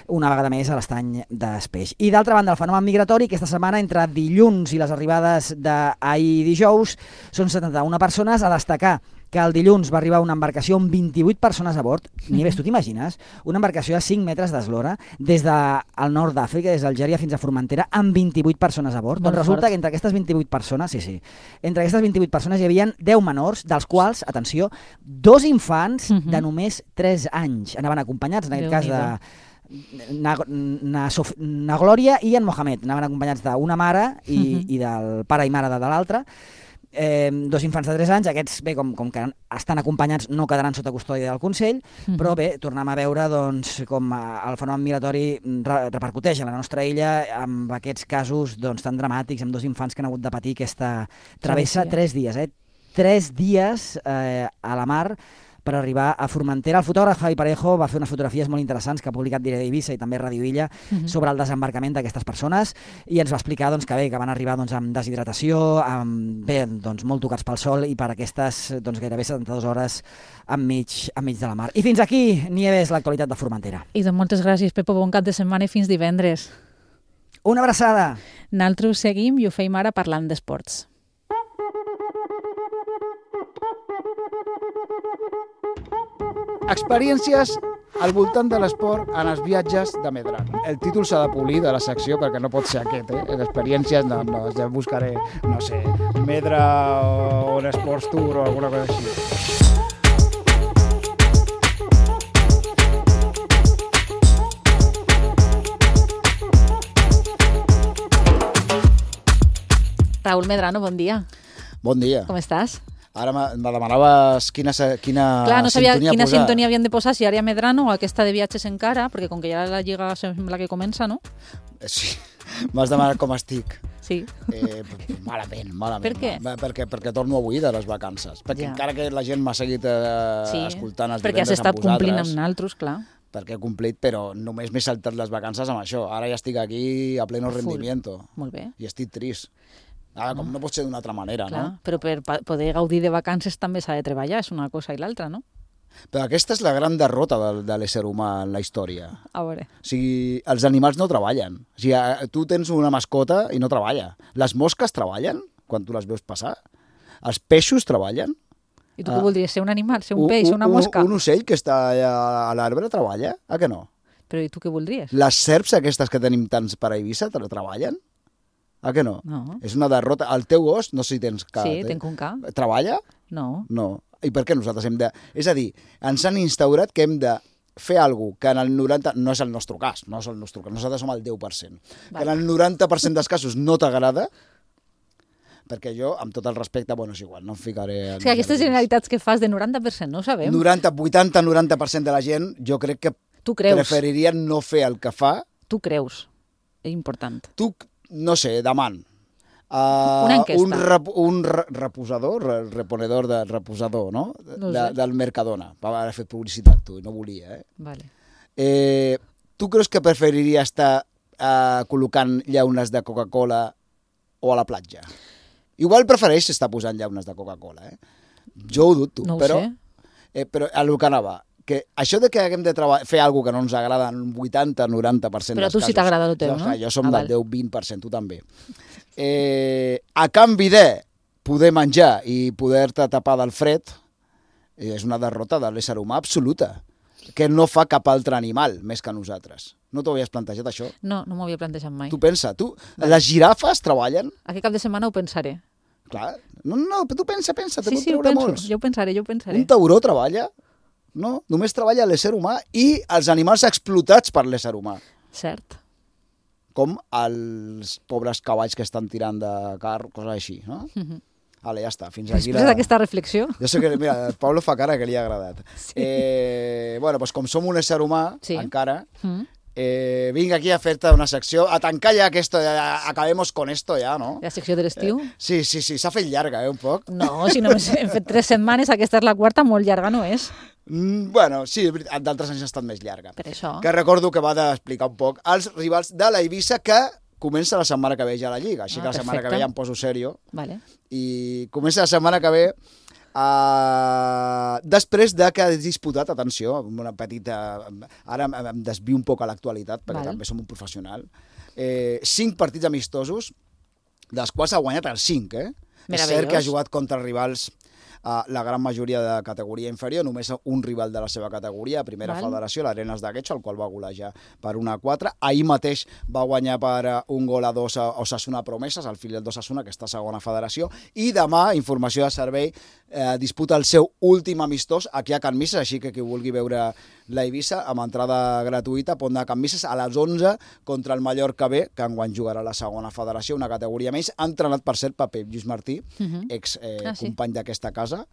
una vegada més a l'Estany d'Espeix. I d'altra banda, el fenomen migratori, aquesta setmana entre dilluns i les arribades d'ahir dijous són setanta-una persones. A destacar que el dilluns va arribar una embarcació amb vint-i-vuit persones a bord. Nieves, tu t'imagines? Una embarcació de cinc metres d'eslora des del nord d'Àfrica, des d'Algèria fins a Formentera, amb vint-i-vuit persones a bord. Molt doncs resulta fort. Que entre aquestes vint-i-vuit persones, sí, sí, entre aquestes vint-i-vuit persones hi havia deu menors, dels quals, atenció, dos infants uh-huh. de només tres anys. Anaven acompanyats, en aquest Déu cas, de... Na, na, Sof... na Glòria i en Mohamed. Anaven acompanyats d'una mare i, uh-huh. i del pare i mare de, de l'altra. Eh, dos infants de tres anys, aquests, bé, com, com que estan acompanyats, no quedaran sota custòdia del Consell, mm-hmm. però bé, tornem a veure doncs, com el fenomen migratori re repercuteix a la nostra illa amb aquests casos doncs, tan dramàtics, amb dos infants que han hagut de patir aquesta travessa, tres dies, eh? Tres dies eh, a la mar per arribar a Formentera. El fotògraf Javi Parejo va fer unes fotografies molt interessants que ha publicat Diari d'Eivissa i també Radio Illa uh-huh. sobre el desembarcament d'aquestes persones i ens va explicar doncs, que bé, que van arribar doncs, amb deshidratació, amb, bé, doncs, molt tocats pel sol i per aquestes doncs, gairebé setanta-dues hores enmig, enmig de la mar. I fins aquí, Nieves, l'actualitat de Formentera. I doncs moltes gràcies, Pepo, bon cap de setmana i fins divendres. Una abraçada! Nosaltres seguim i ho feim ara parlant d'esports. Experiències al voltant de l'esport en els viatges de Medrano. El títol s'ha de polir de la secció perquè no pot ser aquest, eh? Experiències, no, no, ja buscaré, no sé, Medra o un Sports Tour o alguna cosa així. Raúl Medrano, bon dia. Bon dia. Com estàs? Ara me demanaves quina, quina Clar, no sabia sintonia quina posar. sintonia havien de posar, si ara Medrano o aquesta de viatges encara, perquè com que ja la lliga sembla que comença, no? Sí, m'has demanat com estic. Sí. Eh, malament, malament. Per què? Va, perquè, perquè torno avui de les vacances. Perquè ja. encara que la gent m'ha seguit eh, sí, escoltant els perquè has divendres estat amb vosaltres, complint amb naltros, clar. Perquè he complit, però només m'he saltat les vacances amb això. Ara ja estic aquí a pleno Full. rendimiento. Molt bé. I estic trist. Ara, com no pot ser d'una altra manera, clar, no? Però per poder gaudir de vacances també s'ha de treballar, és una cosa i l'altra, no? Però aquesta és la gran derrota de, de l'ésser humà en la història. A veure. O sigui, els animals no treballen. O sigui, tu tens una mascota i no treballa. Les mosques treballen, quan tu les veus passar. Els peixos treballen. I tu què voldries, ser un animal, ser un peix, un, una mosca? Un, un ocell que està a l'arbre treballa, a què no? Però i tu què voldries? Les serps aquestes que tenim tants per a Eivissa treballen? A què no? No. És una derrota. El teu gos, no sé si tens ca. Sí, tenc un ca. Treballa? No. No. I per què nosaltres hem de... És a dir, ens han instaurat que hem de fer alguna cosa que en el noranta... No és el nostre cas, no és el nostre cas. Nosaltres som el deu per cent. Vale. Que en el noranta per cent dels casos no t'agrada, perquè jo, amb tot el respecte, bueno, és igual, no em ficaré... En sí, aquestes generalitats que fas de noranta per cent, no ho sabem. noranta, vuitanta, noranta per cent de la gent, jo crec que tu creus. Preferirien no fer el que fa. Tu creus. És important. Tu... no sé, demant. Uh, Una enquesta. Un, rep, un re, reposador, re, reponedor de reposador, no? No de, sé. Del Mercadona. Va haver fet publicitat, tu, i no volia, eh? Vale. eh tu creus que preferiria estar uh, col·locant llaunes de Coca-Cola o a la platja? Igual prefereix estar posant llaunes de Coca-Cola, eh? Jo ho dubto, No ho però, sé. eh, però a lo que anava, que això de que haguem de treballar, fer alguna que no ens agrada en un vuitanta noranta per cent Però dels tu casos. sí t'agrada el teu, jo, no? Jo som Ah, del val. deu vint per cent, tu també. Eh, a canvi de poder menjar i poder-te tapar del fred, eh, és una derrota de l'ésser humà absoluta, que no fa cap altre animal més que nosaltres. No t'ho havies plantejat, això? No, no m'ho havia plantejat mai. Tu pensa, tu, les girafes treballen? Aquest cap de setmana ho pensaré. Clar, no, no, però tu pensa, pensa, te Sí, pot sí, ho treure penso, molts. jo ho pensaré, jo ho pensaré. Un tauró treballa? No, només treballa l'ésser humà i els animals explotats per l'ésser humà, Cert. com els pobres cavalls que estan tirant de car, coses així, no? Mhm. Vale, ja està, fins aquí Després d'aquesta reflexió... Jo sé que, mira, el Pablo fa cara que li ha agradat. Sí. Eh, bueno, doncs com som un ésser humà, Sí. encara, Mm. eh, vinc aquí a fer-te una secció, a tancar ja aquesta, ja, acabemos con esto ja, no? La secció de l'estiu? Sí, sí, sí, s'ha fet llarga, eh, un poc. No, si només hem fet tres setmanes, aquesta és la quarta, molt llarga no és. Mm, bueno, sí, és veritat, d'altres anys ha estat més llarga. Per això. Que recordo que va d'explicar un poc els rivals de la Eivissa, que comença la setmana que ve ja a la Lliga, així Ah, que la setmana perfecte. que ve ja em poso serio, Vale. i comença la setmana que ve uh, després de que ha disputat, atenció, amb una petita... Ara em, em desvio un poc a l'actualitat, perquè Val. també som un professional. Eh, cinc partits amistosos, dels quals ha guanyat els cinc, eh? És cert que ha jugat contra rivals Uh, la gran majoria de categoria inferior, només un rival de la seva categoria, primera Val. federació, l'Arenas de Guecho, el qual va golejar per una a quatre. Ahir mateix va guanyar per uh, un gol a dos a Osasuna Promeses, el filial d'Osasuna, que està a segona federació, i demà, informació de servei, eh, disputa el seu últim amistós aquí a Can Misses, així que qui vulgui veure la Eivissa, amb entrada gratuïta, pot anar a Can Misses a les onze contra el Mallorca B, que enguany jugarà a la segona federació, una categoria més, entrenat per cert per Pep Lluís Martí, Uh -huh. ex eh, Ah, sí. company d'aquesta casa,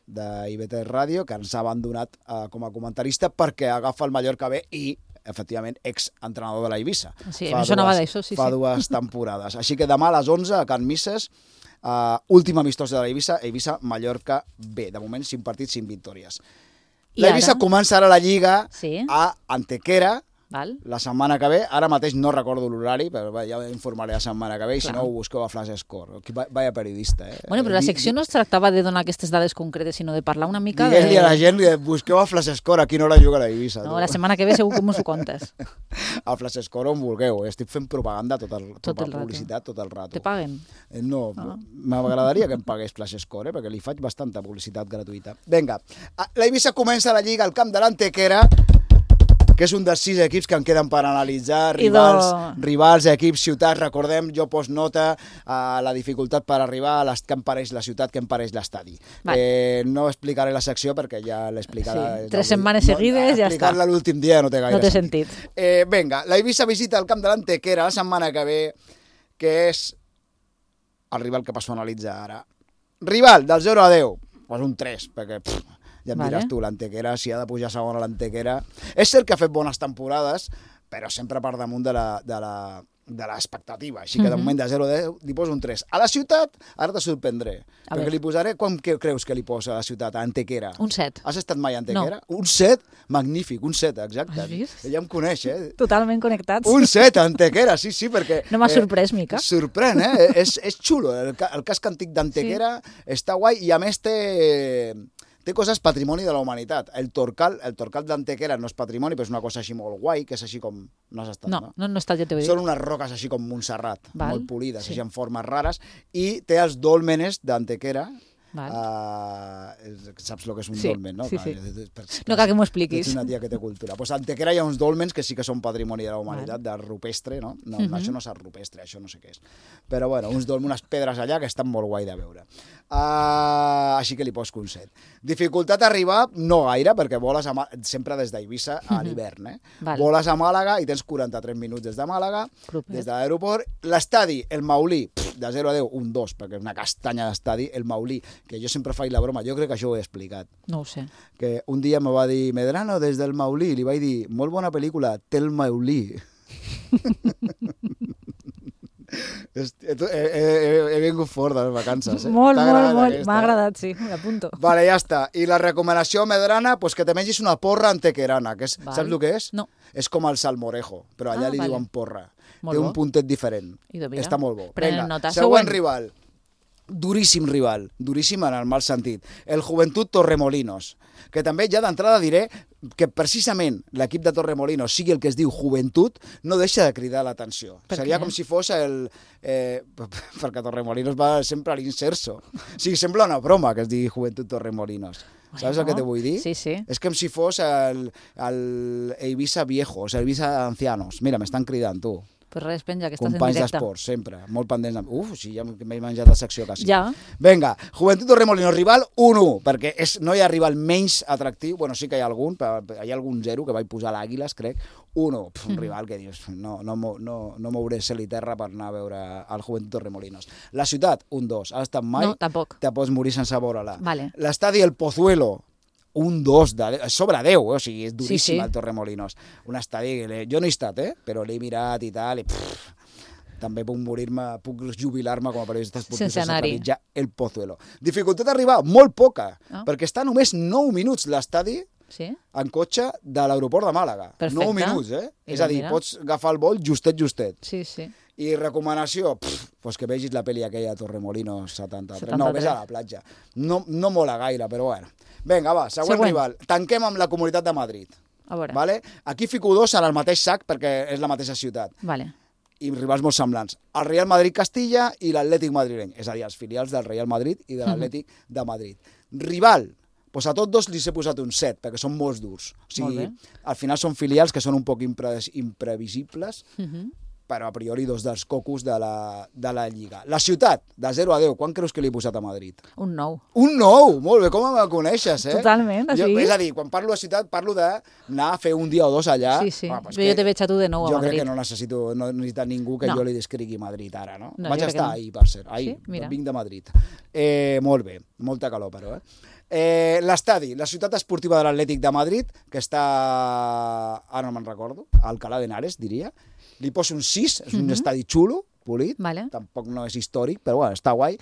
d'I B T Ràdio, que ens ha abandonat eh, com a comentarista perquè agafa el Mallorca B i, efectivament, ex-entrenador de la Eivissa. Sí, em sonava d'això, sí, fa sí. dues temporades. Així que demà a les onze a Can Misses, uh, últim amistós de la Eivissa, Eivissa-Mallorca B. De moment, cinc partits, cinc victòries. I La Eivissa ara? comença ara la Lliga Sí. a Antequera, Val? la setmana que ve. Ara mateix no recordo l'horari, però va, ja informaré la setmana que ve, i si Clar. no ho busqueu a Flash Score. Qui- Vaya periodista, eh? Bueno, però la Di- secció no es tractava de donar aquestes dades concretes, sinó de parlar una mica Digues-li de... a la gent que busqueu a Flash Score, a quina hora juga la Eivissa. No, tu. la setmana que ve segur que m'ho contes. A Flash Score on vulgueu, eh? Estic fent propaganda tot el, Tot tota el rato. publicitat tot el rato. Te paguen? Eh, No, Ah. m'agradaria que em pagués Flash Score, eh? Perquè li faig bastanta publicitat gratuïta. Vinga, Ah, la Eivissa comença la Lliga al camp de l'Antequera, que és un dels sis equips que en queden per analitzar, rivals, Idò. rivals equips, ciutats, recordem, jo poso nota a la dificultat per arribar a les, que em pareix la ciutat, que em pareix l'estadi. Vale. Eh, no explicaré la secció perquè ja l'he explicat. Sí, tres setmanes seguides, ja està. Explicar-la l'últim dia no té gaire No té sentit. Eh, vinga, la Eivissa visita el camp de l'Antequera la setmana que ve, que és el rival que passo a analitzar ara. Rival, del zero a deu, pues un tres, perquè pff, ja em Vale. diràs tu, l'Antequera, si ha de pujar a segona l'Antequera. És cert que ha fet bones temporades, però sempre per damunt de la, de la, de l'expectativa. Així que de Mhm. moment de zero a deu li poso un tres. A la ciutat, ara te sorprendré, A perquè veure. li posaré, quan que creus que li posa a la ciutat, a Antequera? Un set. Has estat mai a Antequera? Un set? Magnífic, un set, exacte. Has vist? Ella em coneix, eh? Totalment connectats. Un set, Antequera, sí, sí, perquè... No m'ha sorprès, mica. Sorprèn, eh? és, és xulo. El, ca- el casc antic d'Antequera sí. està guai i, a més, té, té coses patrimoni de la humanitat. El Torcal, el Torcal d'Antequera no és patrimoni, però és una cosa així molt guai, que és així com... No has estat, No, no? no, no està, ja t'ho he dit. Són unes roques així com Montserrat, Val. molt polides, Sí. així en formes rares, i té els dòlmenes d'Antequera. Val. Uh, saps el que és un Sí, dolmen, no? sí, Clar, sí. eh, per- No cal que m'ho Ets expliquis. una tia que té cultura. Pues a Antequera hi ha uns dolmens que sí que són patrimoni de la humanitat, de rupestre, no? no, Mhm. Això no és art rupestre, això no sé què és. Però bueno, uns dolmens, unes pedres allà que estan molt guai de veure. Uh, així que li poso un set. Dificultat a arribar, no gaire, perquè voles a, Mà- sempre des d'Eivissa a l'hivern, eh? Val. Voles a Màlaga i tens quaranta-tres minuts des de Màlaga, Propet. des de l'aeroport. L'estadi, el Maulí, pff, de zero a deu, un dos, perquè és una castanya d'estadi. El Maulí, que jo sempre faig la broma, jo crec que això ho he explicat, No ho sé. que un dia me va dir Medrano des del Maulí, li vaig dir molt bona pel·lícula, Tel Maulí. He, he, he vingut fort de les vacances. Eh? Molt, molt, molt. M'ha agradat, sí, l'apunto. Vale, ja està. I la recomanació medrana, pues que te mengis una porra antequerana. Que és, saps el que és? No. És com el salmorejo, però allà ah, li vale. diuen porra. Molt Té bo. un puntet diferent. Està molt bo. Prenen Vinga, nota. següent Següent rival. Duríssim rival, duríssim en el mal sentit. El Joventut Torremolinos, que també ja d'entrada diré que precisament l'equip de Torremolinos sigui el que es diu Joventut, no deixa de cridar l'atenció. Seria què? com si fos el... Eh, perquè Torremolinos va sempre a l'inserso. O sigui, sembla una broma que es digui Joventut Torremolinos. Saps bueno, el que te vull dir? Sí, sí. És com si fos el, el Eivissa Viejos, el Eivissa Ancianos. Mira, m'estan cridant, tu. Pues res, penja, que estàs companys en directe. d'esports, sempre. Molt pendents. De... Uf, sí, ja m'he menjat la secció quasi. Ja. Vinga, Joventut Torremolinos, rival un u, perquè és, no hi ha rival menys atractiu, bueno, sí que hi ha algun, però hi ha algun zero que vaig posar a l'Àguiles, crec, un u, un mm. rival que dius, no, no, no, no mouré cel i terra per anar a veure el Joventut Torremolinos. La ciutat, un dos. Has estat mai? No, tampoc. Te pots morir sense veure-la. Vale. L'estadi El Pozuelo, un dos, de, sobre deu, eh? O sigui, és duríssim sí, sí. el Torremolinos. Un estadi, jo no he estat, eh? Però l'he mirat i tal, i pff, també puc morir-me, puc jubilar-me com a periodista esportiu sense trepitjar El Pozuelo. Dificultat d'arribar, molt poca, oh. perquè està només nou minuts l'estadi sí? en cotxe de l'aeroport de Màlaga. Perfecte. nou minuts, eh? I és a dir, mira. Pots agafar el vol justet, justet. Sí, sí. I recomanació, pff, pues que vegis la pel·li aquella Torremolinos setanta-tres. setanta-tres. No, vés a la platja. No, no mola gaire, però bueno. Vinga, va, següent, següent rival. Tanquem amb la Comunitat de Madrid. A veure. Vale? Aquí fico dos en el mateix sac perquè és la mateixa ciutat. Vale. I rivals molt semblants. El Real Madrid Castilla i l'Atlètic madrileny. És a dir, els filials del Real Madrid i de l'Atlètic uh -huh. de Madrid. Rival, doncs a tots dos li he posat un set, perquè són molt durs. O sigui, al final són filials que són un poc impre imprevisibles, uh -huh. però a priori dos dels cocos de la, de la Lliga. La ciutat, de zero a deu, quan creus que li he posat a Madrid? Un nou. Un nou! Molt bé, com me coneixes, eh? Totalment, així. Jo, és a dir, quan parlo de ciutat, parlo d'anar a fer un dia o dos allà. Sí, sí. Ah, pues jo te veig a tu de nou a jo Madrid. Jo crec que no necessito, no necessita ningú que no. jo li descrigui Madrid ara, no? no Vaig estar no. ahir, per cert. Ahir, sí? Mira. vinc de Madrid. Eh, molt bé, molta calor, però, eh? Eh, l'estadi, la ciutat esportiva de l'Atlètic de Madrid, que està, ara no me'n recordo, a Alcalá de Henares, diria. Li poso un sis, és un uh-huh. estadi xulo, polit, vale. Tampoc no és històric, però bueno, està guai.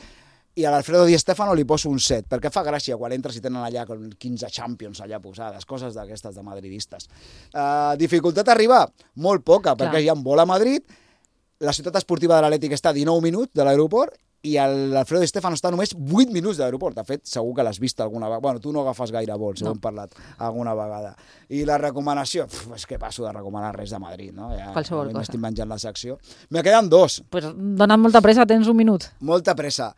I a l'Alfredo Di Stéfano li poso un set, perquè fa gràcia quan entres i tenen allà quinze Champions allà posades, coses d'aquestes de madridistes. Uh, dificultat d'arribar? Molt poca, Clar. perquè hi ha un vol a Madrid, la ciutat esportiva de l'Atlètic està a dinou minuts de l'aeroport, i l'Alfredo Di Stéfano està només vuit minuts de l'aeroport. De fet, segur que l'has vist alguna vegada. Bueno, tu no agafes gaire vols, no. Ho hem parlat alguna vegada. I la recomanació, pf, és que passo de recomanar res de Madrid, no? Ja, qualsevol cosa. M'estic menjant la secció. Me queden dos. Pues donant molta pressa, tens un minut. Molta pressa.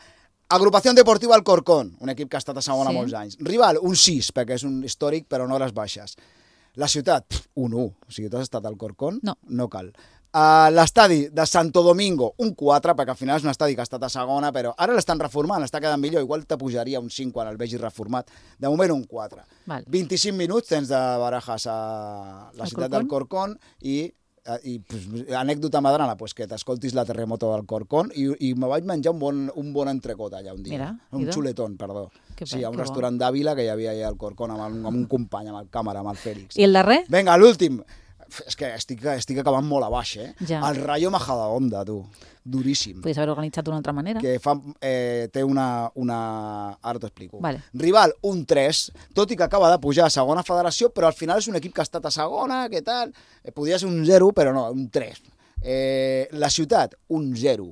Agrupació Deportiva Alcorcón, un equip que ha estat a segona sí. molts anys. Rival, un sis, perquè és un històric, però en hores baixes. La ciutat, pf, un u. O sigui, tu has estat al Alcorcón? No. No cal. Uh, l'estadi de Santo Domingo, un quatre, perquè al final és un estadi que ha estat a segona, però ara l'estan reformant, està quedant millor, igual te pujaria un cinc quan el vegis reformat. De moment un quatre. Val. vint-i-cinc minuts tens de Barajas a la el ciutat del Corcón i, i pues, anècdota madrana, pues, que t'escoltis la terremoto del Corcón i, i me vaig menjar un bon, un bon entrecot allà un dia. Mira, un xuletón, perdó. Que sí, a un restaurant bon. d'Àvila que hi havia allà al Corcón amb, el, amb un company, amb el càmera, amb el Fèlix. I el darrer? Vinga, l'últim. És que estic, estic acabant molt a baix, eh? Ja. El Rayo Majadahonda, tu. Duríssim. Podries haver organitzat d'una altra manera. Que fa, eh, té una, una... Ara t'ho explico. Vale. Rival, un tres, tot i que acaba de pujar a segona federació, però al final és un equip que ha estat a segona, què tal? Eh, podria ser un zero, però no, un tres. Eh, la ciutat, un zero.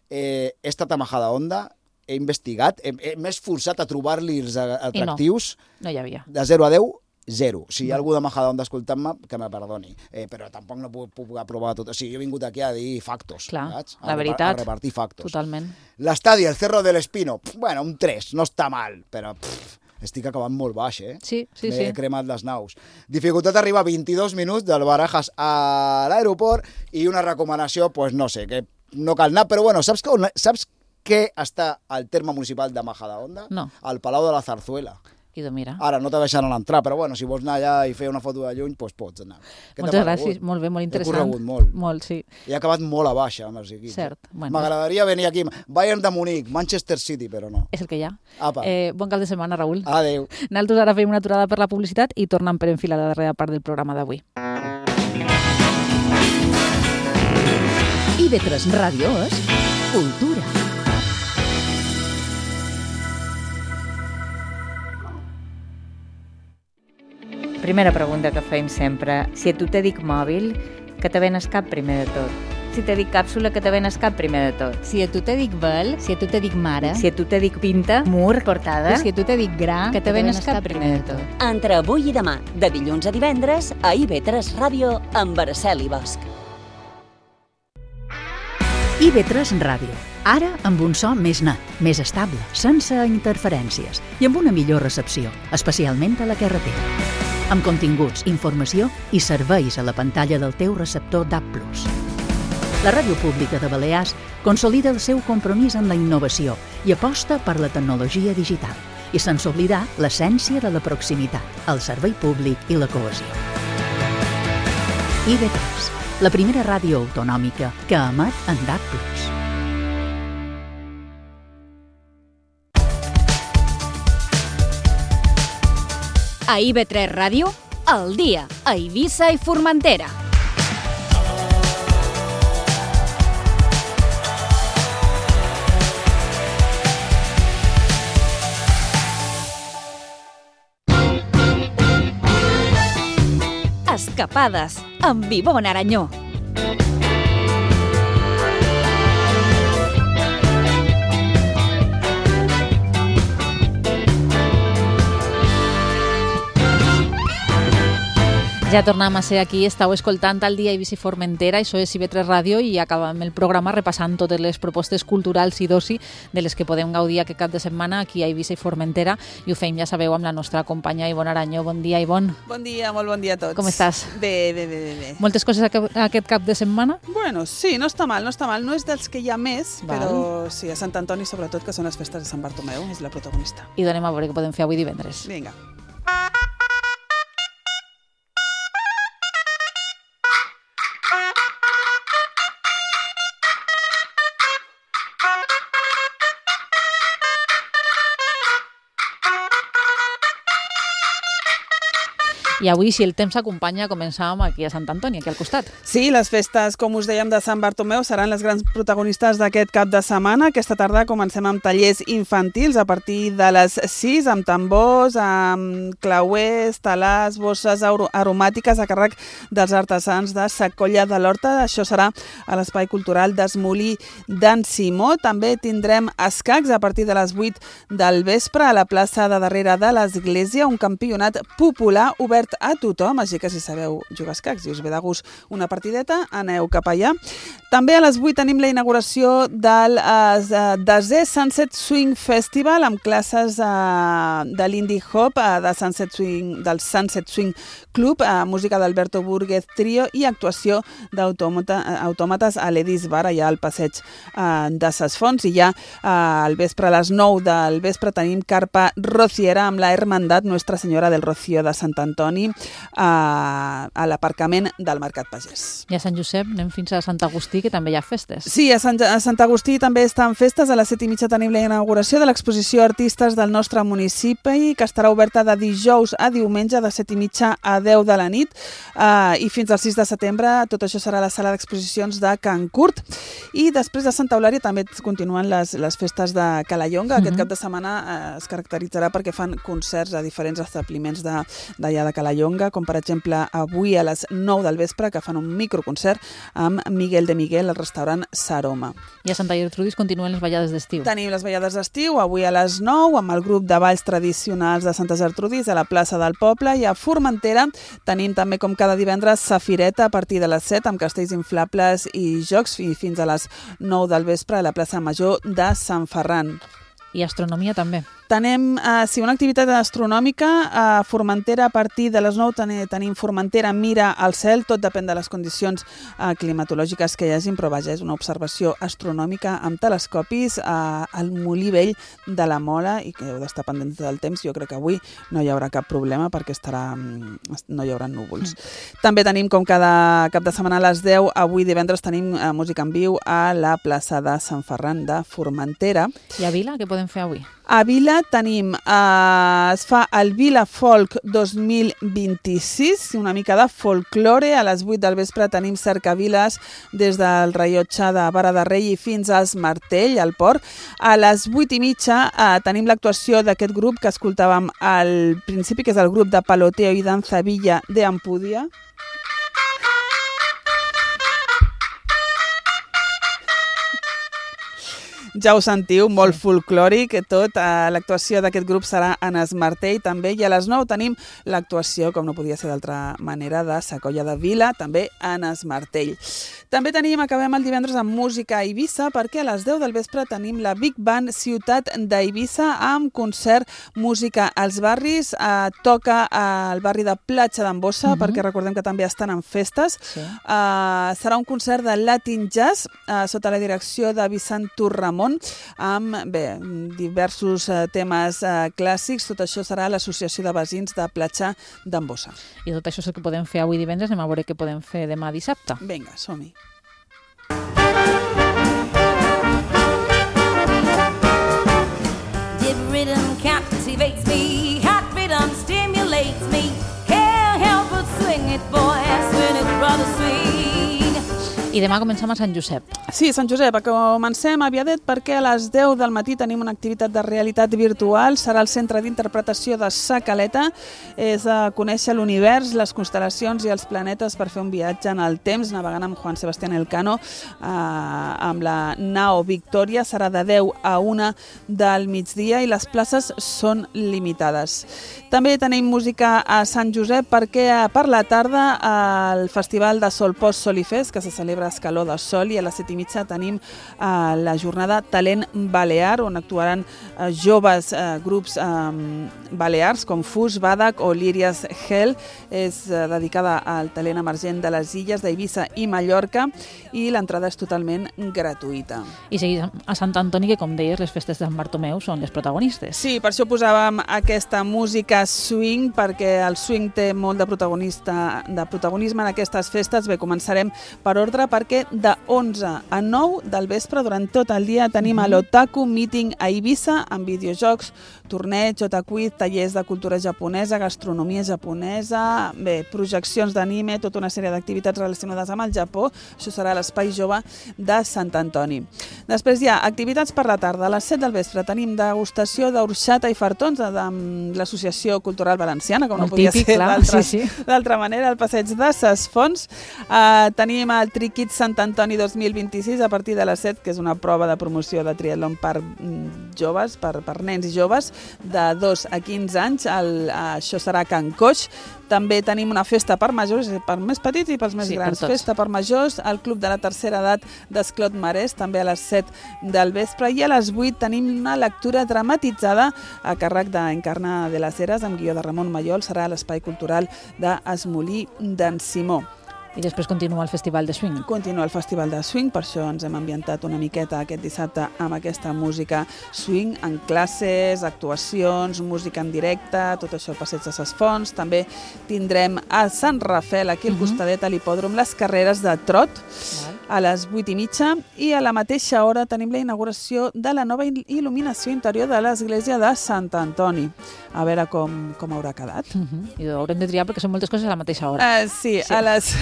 Eh, he estat a Majadahonda, he investigat, m'he esforçat a trobar-li els atractius. I no, no hi havia. De zero a deu, zero. Si hi ha algú de Majadahonda escoltant-me, que me perdoni. Eh, però tampoc no puc, puc aprovar tot. O sigui, jo he vingut aquí a dir factos. Clar, saps? la veritat. A repartir factos. Totalment. L'estadi, el Cerro del Espino, pff, bueno, un tres, no està mal, però pff, estic acabant molt baix, eh? Sí, sí, M'he sí. M'he cremat les naus. Dificultat d'arribar a vint-i-dos minuts del Barajas a l'aeroport i una recomanació, pues no sé, que no cal anar, però bueno, saps que, saps què està al terme municipal de Majadahonda? No. Al Palau de la Zarzuela. I de mira. Ara no te deixaran entrar, però bueno, si vols anar allà i fer una foto de lluny, doncs pots anar. Moltes gràcies, molt bé, molt interessant. He corregut molt. Molt, sí. He acabat molt a baixa amb els equips. Cert. Bueno. M'agradaria venir aquí. Bayern de Munic, Manchester City, però no. És el que hi ha. Apa. Eh, bon cap de setmana, Raül. Adéu. Nosaltres ara fem una aturada per la publicitat i tornem per enfilar la darrera part del programa d'avui. I I V tres Ràdio és cultura. Primera pregunta que fem sempre. Si a tu te dic mòbil, que te venes cap primer de tot? Si te dic càpsula, que te venes cap primer de tot? Si a tu te dic vel, si a tu te dic mare, Si a tu te dic pinta, mur, portada, si a tu te dic gra, que te venes cap primer de tot? Entre avui i demà, de dilluns a divendres, a I V tres Ràdio, amb Araceli Bosch. I V tres Ràdio. Ara amb un so més net, més estable, sense interferències i amb una millor recepció, especialment a la carretera. Amb continguts, informació i serveis a la pantalla del teu receptor D A B plus. La Ràdio Pública de Balears consolida el seu compromís amb la innovació i aposta per la tecnologia digital, i sense oblidar l'essència de la proximitat, el servei públic i la cohesió. I V tres, la primera ràdio autonòmica que emet en D A B plus. A I V tres Ràdio, al dia, a Eivissa i Formentera. Escapades, amb Ivonne Aranyó. Ja tornem a ser aquí, estàu escoltant el dia Eivissa i Formentera, això és I V tres Ràdio, i acabem el programa repassant totes les propostes culturals i d'oci de les que podem gaudir aquest cap de setmana aquí a Eivissa i Formentera, i ho fem, ja sabeu, amb la nostra companya Ivonne Aranyó. Bon dia, Ivonne. Bon dia, molt bon dia a tots. Com estàs? Bé, bé, bé, bé. bé. Moltes coses aquest cap de setmana? Bueno, sí, no està mal, no està mal. No és dels que hi ha més, Val. però sí, a Sant Antoni sobretot, que són les festes de Sant Bartomeu, és la protagonista. I donem a veure què podem fer avui divendres. Vinga. I avui, si el temps s'acompanya, començàvem aquí a Sant Antoni, aquí al costat. Sí, les festes, com us dèiem, de Sant Bartomeu seran les grans protagonistes d'aquest cap de setmana. Aquesta tarda comencem amb tallers infantils a partir de les sis, amb tambors, amb clauers, talars, bosses aromàtiques a càrrec dels artesans de Sa Colla de l'Horta. Això serà a l'Espai Cultural d'Esmolí d'en Simó. També tindrem escacs a partir de les vuit del vespre a la plaça de darrere de l'Església, un campionat popular obert a tothom, així que si sabeu jugar a escacs i us ve de gust una partideta, aneu cap allà. També a les vuit tenim la inauguració del eh, desè Sunset Swing Festival amb classes eh, de l'Indie Hop, eh, de Sunset Swing, del Sunset Swing Club, eh, música d'Alberto Burguez Trio i actuació d'autòmates a l'Edis Bar, allà al passeig eh, de Ses Fonts. I ja eh, al vespre, a les nou del vespre, tenim carpa rociera amb la Hermandad Nuestra Senyora del Rocío de Sant Antoni a, a l'aparcament del Mercat Pagès. I a Sant Josep anem fins a Sant Agustí, que també hi ha festes. Sí, a Sant, a Sant Agustí també estan festes. A les set i mitja tenim la inauguració de l'exposició Artistes del nostre municipi, que estarà oberta de dijous a diumenge, de set i mitja a deu de la nit, uh, i fins al sis de setembre. Tot això serà a la sala d'exposicions de Can Curt. I després de Santa Eulària també continuen les, les festes de Calallonga. Aquest uh-huh. cap de setmana uh, es caracteritzarà perquè fan concerts a diferents establiments d'allà de, de Calallonga, com per exemple avui a les nou del vespre, que fan un microconcert amb Miguel de Miguel al restaurant Saroma. I a Santa Gertrudis continuen les ballades d'estiu. Tenim les ballades d'estiu avui a les nou amb el grup de balls tradicionals de Santa Gertrudis a la plaça del poble, i a Formentera tenim també, com cada divendres, Safireta a partir de les set amb castells inflables i jocs, i fins a les nou del vespre a la plaça Major de Sant Ferran. I astronomia també. Tenim, eh, sí, una activitat astronòmica a Formentera a partir de les nou. Ten, tenim Formentera Mira al cel, tot depèn de les condicions eh, climatològiques que hi hagin, però vaja, és una observació astronòmica amb telescopis eh, al Molí Vell de la Mola, i que heu d'estar pendents del temps. Jo crec que avui no hi haurà cap problema perquè estarà, no hi haurà núvols. Mm. També tenim, com cada cap de setmana a les deu, avui divendres tenim eh, música en viu a la plaça de Sant Ferran de Formentera. I a Vila, què podem fer avui? A Vila tenim, eh, es fa el Vila Folk dos mil vint-i-sis, una mica de folklore. A les vuit del vespre tenim cercaviles des del rellotge de Vara de Rei fins als Martell, al port. A les vuit i mitja eh, tenim l'actuació d'aquest grup que escoltàvem al principi, que és el grup de Paloteo i Danza Villa de Ampudia. Ja ho sentiu, molt folclòric, tot. L'actuació d'aquest grup serà en Es Martell, també, i a les nou tenim l'actuació, com no podia ser d'altra manera, de Sacolla de Vila, també en Es Martell. També tenim, acabem el divendres amb música a Eivissa, perquè a les deu del vespre tenim la Big Band Ciutat d'Eivissa amb concert Música als Barris. Eh, toca al barri de Platja d'en Bossa, uh -huh. perquè recordem que també estan en festes. Sí. Eh, serà un concert de Latin Jazz eh, sota la direcció de Vicent Torramon, amb bé, diversos eh, temes eh, clàssics. Tot això serà a l'Associació de Veïns de Platja d'en Bossa. I tot això és el que podem fer avui divendres, anem a veure què podem fer demà dissabte. Vinga, som-hi. Dip rhythm captivates me, hot rhythm stimulates me. Can't help but swing it, boy, swing it, brother, swing. I demà comencem a Sant Josep. Sí, Sant Josep, comencem aviadet perquè a les deu del matí tenim una activitat de realitat virtual. Serà el Centre d'Interpretació de Sa Caleta. És a conèixer l'univers, les constel·lacions i els planetes per fer un viatge en el temps, navegant amb Juan Sebastián Elcano eh, amb la nau Victòria. Serà de deu a una del migdia i les places són limitades. També tenim música a Sant Josep perquè per la tarda el Festival de Sol Post Sol i Fes, que se celebra a Escaló de Sol, i a les set i mitja tenim eh, la jornada Talent Balear, on actuaran eh, joves eh, grups eh, balears com Fus, Badak o Lírias Hell. És eh, dedicada al talent emergent de les illes d'Eivissa i Mallorca, i l'entrada és totalment gratuïta. I seguís a Sant Antoni, que com deies, les festes de Sant Bartomeu són les protagonistes. Sí, per això posàvem aquesta música swing, perquè el swing té molt de protagonista de protagonisme en aquestes festes. Bé, començarem per ordre, perquè de onze a nou del vespre, durant tot el dia, tenim a l'Otaku Meeting a Eivissa, amb videojocs, torneig, otakuiz, tallers de cultura japonesa, gastronomia japonesa, bé, projeccions d'anime, tota una sèrie d'activitats relacionades amb el Japó. Això serà a l'Espai Jove de Sant Antoni. Després hi ha activitats per la tarda. A les set del vespre tenim degustació d'orxata i fartons amb l'Associació Cultural Valenciana, com no podia ser d'altra sí, sí. manera, al passeig de Ses Fonts. Uh, tenim el Triquit Sant Antoni dos mil vint-i-sis a partir de les set, que és una prova de promoció de triatlon per joves, per, per nens i joves de dos a quinze anys. El, això serà a Can Coix. També tenim una festa per majors, per més petits i pels més sí, grans. Per festa per majors al Club de la Tercera Edat d'Esclot Marès, també a les set del vespre. I a les vuit tenim una lectura dramatitzada a càrrec d'Encarna de les Heres, amb guió de Ramon Mayol. Serà a l'Espai Cultural d'Esmolí d'en Simó. I després continua el Festival de Swing. Continua el Festival de Swing, per això ens hem ambientat una miqueta aquest dissabte amb aquesta música swing, en classes, actuacions, música en directe, tot això al passeig de Ses Fonts. També tindrem a Sant Rafel, aquí al costadet a l'hipòdrom, les carreres de trot a les vuit i mitja, i a la mateixa hora tenim la inauguració de la nova il·luminació interior de l'església de Sant Antoni. A veure com, com haurà quedat. Uh -huh. I ho haurem de triar perquè són moltes coses a la mateixa hora. Uh, sí, sí, a les...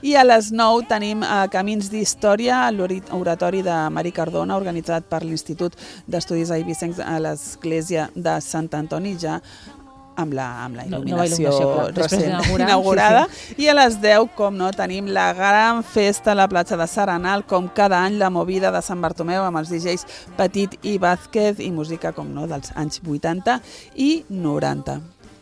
I a les nou tenim uh, Camins d'Història, l'oratori de Mari Cardona, organitzat per l'Institut d'Estudis Eivissencs a l'església de Sant Antoni, ja amb la, amb la il·luminació, no, il·luminació recent inaugurada. Sí, sí. I a les deu, com no, tenim la gran festa a la platja de Saranal, com cada any, la movida de Sant Bartomeu, amb els D Js Petit i Vázquez, i música, com no, dels anys vuitanta i noranta.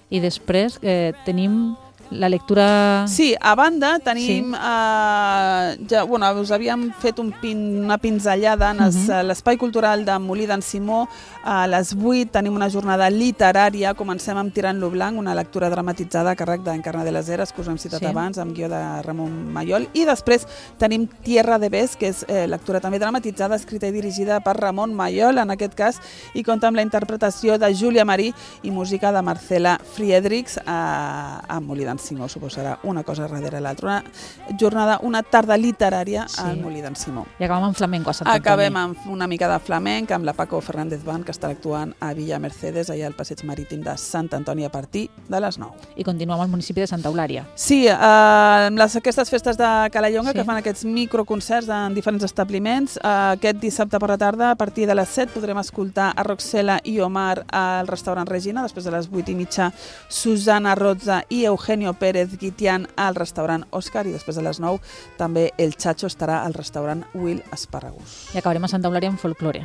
I després eh, tenim la lectura... Sí, a banda tenim... Sí. Eh, ja, bueno, us havíem fet un pin, una pinzellada en uh-huh. l'Espai Cultural de Molí d'en Simó. A les vuit tenim una jornada literària. Comencem amb Tirant-lo blanc, una lectura dramatitzada a càrrec d'Encarna de les Heres, que us hem citat sí. abans, amb guió de Ramon Mayol. I després tenim Tierra de Bes, que és eh, lectura també dramatitzada, escrita i dirigida per Ramon Mayol, en aquest cas, i compta amb la interpretació de Júlia Marí i música de Marcela Friedrichs a, a Molí d'en d'en Simó. Suposarà una cosa darrere l'altra. Una jornada, una tarda literària sí. al Molí d'en Simó. I acabem amb flamenco a Sant Antoni. Acabem amb una mica de flamenc, amb la Paco Fernández Band, que estarà actuant a Villa Mercedes, allà al passeig marítim de Sant Antoni a partir de les nou. I continuem al municipi de Santa Eulària. Sí, eh, les, aquestes festes de Calallonga sí. que fan aquests microconcerts en diferents establiments. Eh, aquest dissabte per la tarda, a partir de les set, podrem escoltar a Roxela i Omar al restaurant Regina, després de les vuit i mitja Susana Rozza i Eugenio Pérez Guitián al restaurant Òscar, i després de les nou també el Chacho estarà al restaurant Will Esparragus. I acabarem a Santa Eulària amb folklore.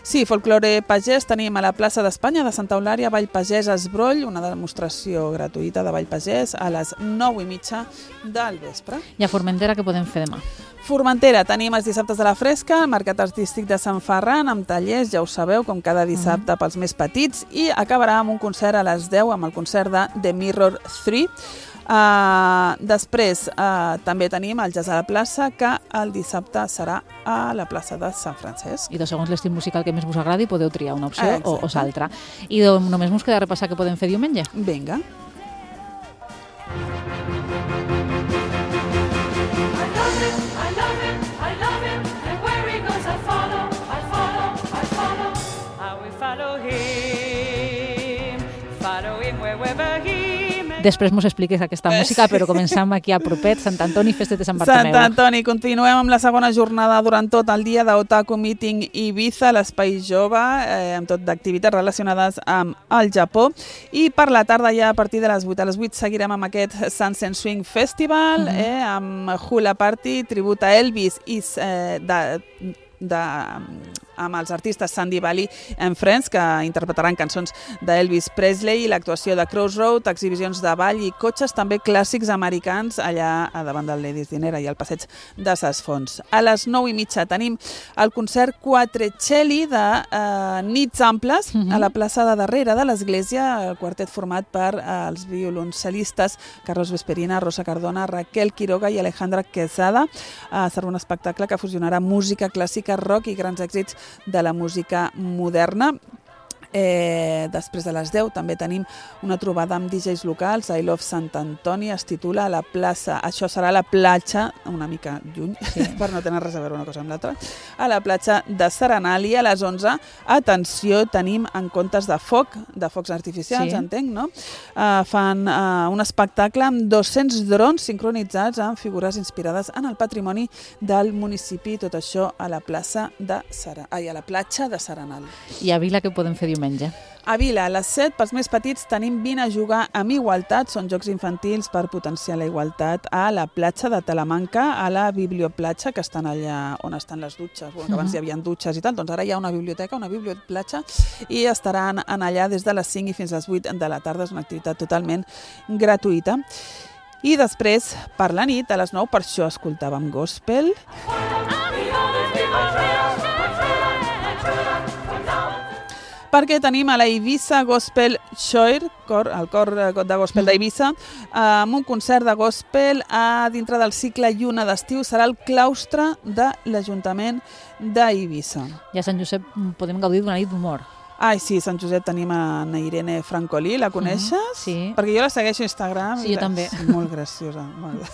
Sí, folklore pagès. Tenim a la plaça d'Espanya de Santa Eulària Ball Pagès Esbroll, una demostració gratuïta de Ball Pagès a les nou i mitja del vespre. I a Formentera què podem fer demà? Formentera, tenim els dissabtes de la Fresca, el Mercat Artístic de Sant Ferran, amb tallers, ja ho sabeu, com cada dissabte mm. pels més petits, i acabarà amb un concert a les deu, amb el concert de The Mirror tres. Uh, després uh, també tenim el Jazz a la plaça, que el dissabte serà a la plaça de Sant Francesc. I de segons l'estil musical que més us agradi podeu triar una opció ah, o, o l'altra. I de, només ens queda repassar què podem fer diumenge. Vinga. Després mos expliques aquesta música, però començam aquí a propet, Sant Antoni, festes de Sant Bartomeu. Sant Antoni, continuem amb la segona jornada durant tot el dia d'Otaku Meeting Ibiza, l'Espai Jove, eh, amb tot d'activitats relacionades amb el Japó. I per la tarda, ja a partir de les vuit a les vuit, seguirem amb aquest Sunset Swing Festival, mm-hmm. eh, amb Hula Party, tribut a Elvis i eh, de... de amb els artistes Sandy Valley and Friends, que interpretaran cançons d'Elvis Presley, l'actuació de Crossroad, exhibicions de ball i cotxes també clàssics americans allà a davant del Ladies Dinera i al passeig de Ses Fonts. A les nou i mitja tenim el concert Quattrochelli de eh, Nits Amples uh-huh. a la plaça de darrere de l'església, el quartet format per eh, els violoncellistes Carlos Vesperina, Rosa Cardona, Raquel Quiroga i Alejandra Quesada. Eh, serà un espectacle que fusionarà música clàssica, rock i grans èxits de la música moderna. Eh, després de les deu també tenim una trobada amb D Js locals. I Love Sant Antoni es titula a la plaça, això serà a la platja, una mica lluny, sí. per no tenir res a veure una cosa amb l'altra, a la platja de Serenal. I a les onze, atenció, tenim en comptes de foc, de focs artificials, sí. entenc, no? Uh, fan uh, un espectacle amb dos-cents drons sincronitzats amb figures inspirades en el patrimoni del municipi, tot això a la plaça de Sera... Ai, a la platja de Serenal. I a Vila què podem fer diumenge? A Vila, a les set, pels més petits, tenim Vine a jugar amb igualtat. Són jocs infantils per potenciar la igualtat a la platja de Talamanca, a la biblioplatja, que estan allà on estan les dutxes. Bueno, que abans hi havia dutxes i tal, doncs ara hi ha una biblioteca, una biblioplatja, i estaran en allà des de les cinc i fins a les vuit de la tarda. És una activitat totalment gratuïta. I després, per la nit, a les nou, per això escoltàvem gospel. Perquè tenim a la Ibiza Gospel Choir, cor, el cor de gospel d'Eivissa, amb un concert de gospel a dintre del cicle Lluna d'estiu. Serà el claustre de l'Ajuntament d'Eivissa. I a Sant Josep podem gaudir d'una nit d'humor. Ai, sí, a Sant Josep tenim a Irene Francolí, la coneixes? Uh-huh, sí. Perquè jo la segueixo a Instagram. Sí, jo també. És molt graciosa. Molt...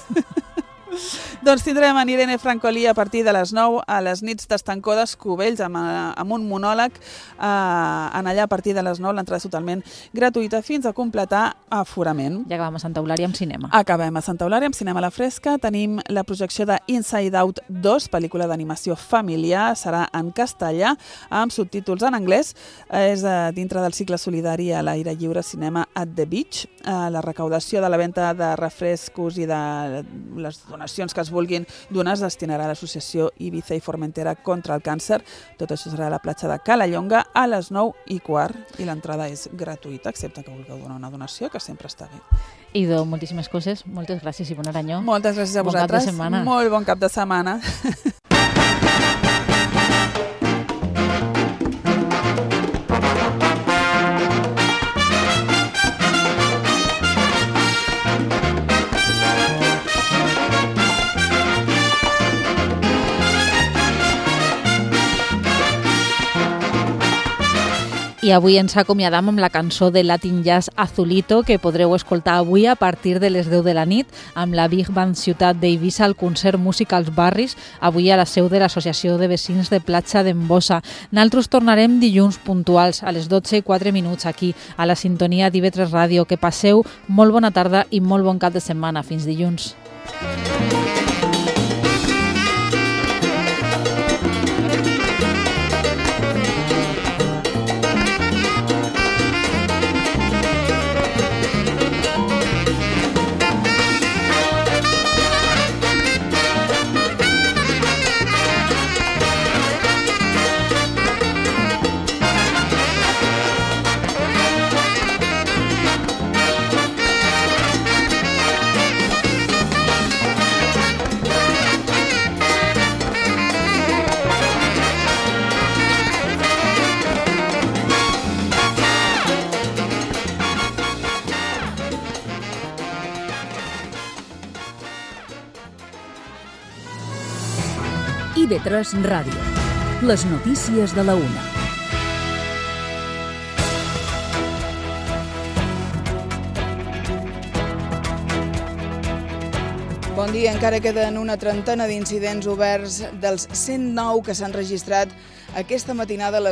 Doncs tindrem en Irene Francolí a partir de les nou a les nits d'Estancó d'Escubells amb, amb un monòleg eh, en allà a partir de les nou. L'entrada és totalment gratuïta fins a completar aforament. Ja acabem a Santa Eulària amb cinema. Acabem a Santa Eulària amb cinema a la fresca. Tenim la projecció de Inside Out dos, pel·lícula d'animació familiar. Serà en castellà amb subtítols en anglès. És eh, dintre del cicle solidari a l'aire lliure Cinema at the Beach. Eh, la recaudació de la venda de refrescos i de les donacions que es vulguin donar es destinarà a l'associació Ibiza i Formentera contra el càncer. Tot això serà a la platja de Calallonga a les nou i quart i l'entrada és gratuïta, excepte que vulgueu donar una donació, que sempre està bé. Idò, moltíssimes coses, moltes gràcies i bon aranyó. Moltes gràcies a vosaltres. Bon cap de setmana. Molt bon cap de setmana. I avui ens acomiadam amb la cançó de Latin Jazz Azulito, que podreu escoltar avui a partir de les deu de la nit amb la Big Band Ciutat d'Eivissa al concert Música als Barris, avui a la seu de l'Associació de Vecins de Platja d'Embossa. Naltros tornarem dilluns puntuals a les dotze i quatre minuts aquí, a la sintonia d'I V tres Ràdio. Que passeu molt bona tarda i molt bon cap de setmana. Fins dilluns. I V tres Ràdio. Les notícies de la una. Bon dia. Encara queden una trentena d'incidents oberts dels cent nou que s'han registrat aquesta matinada a les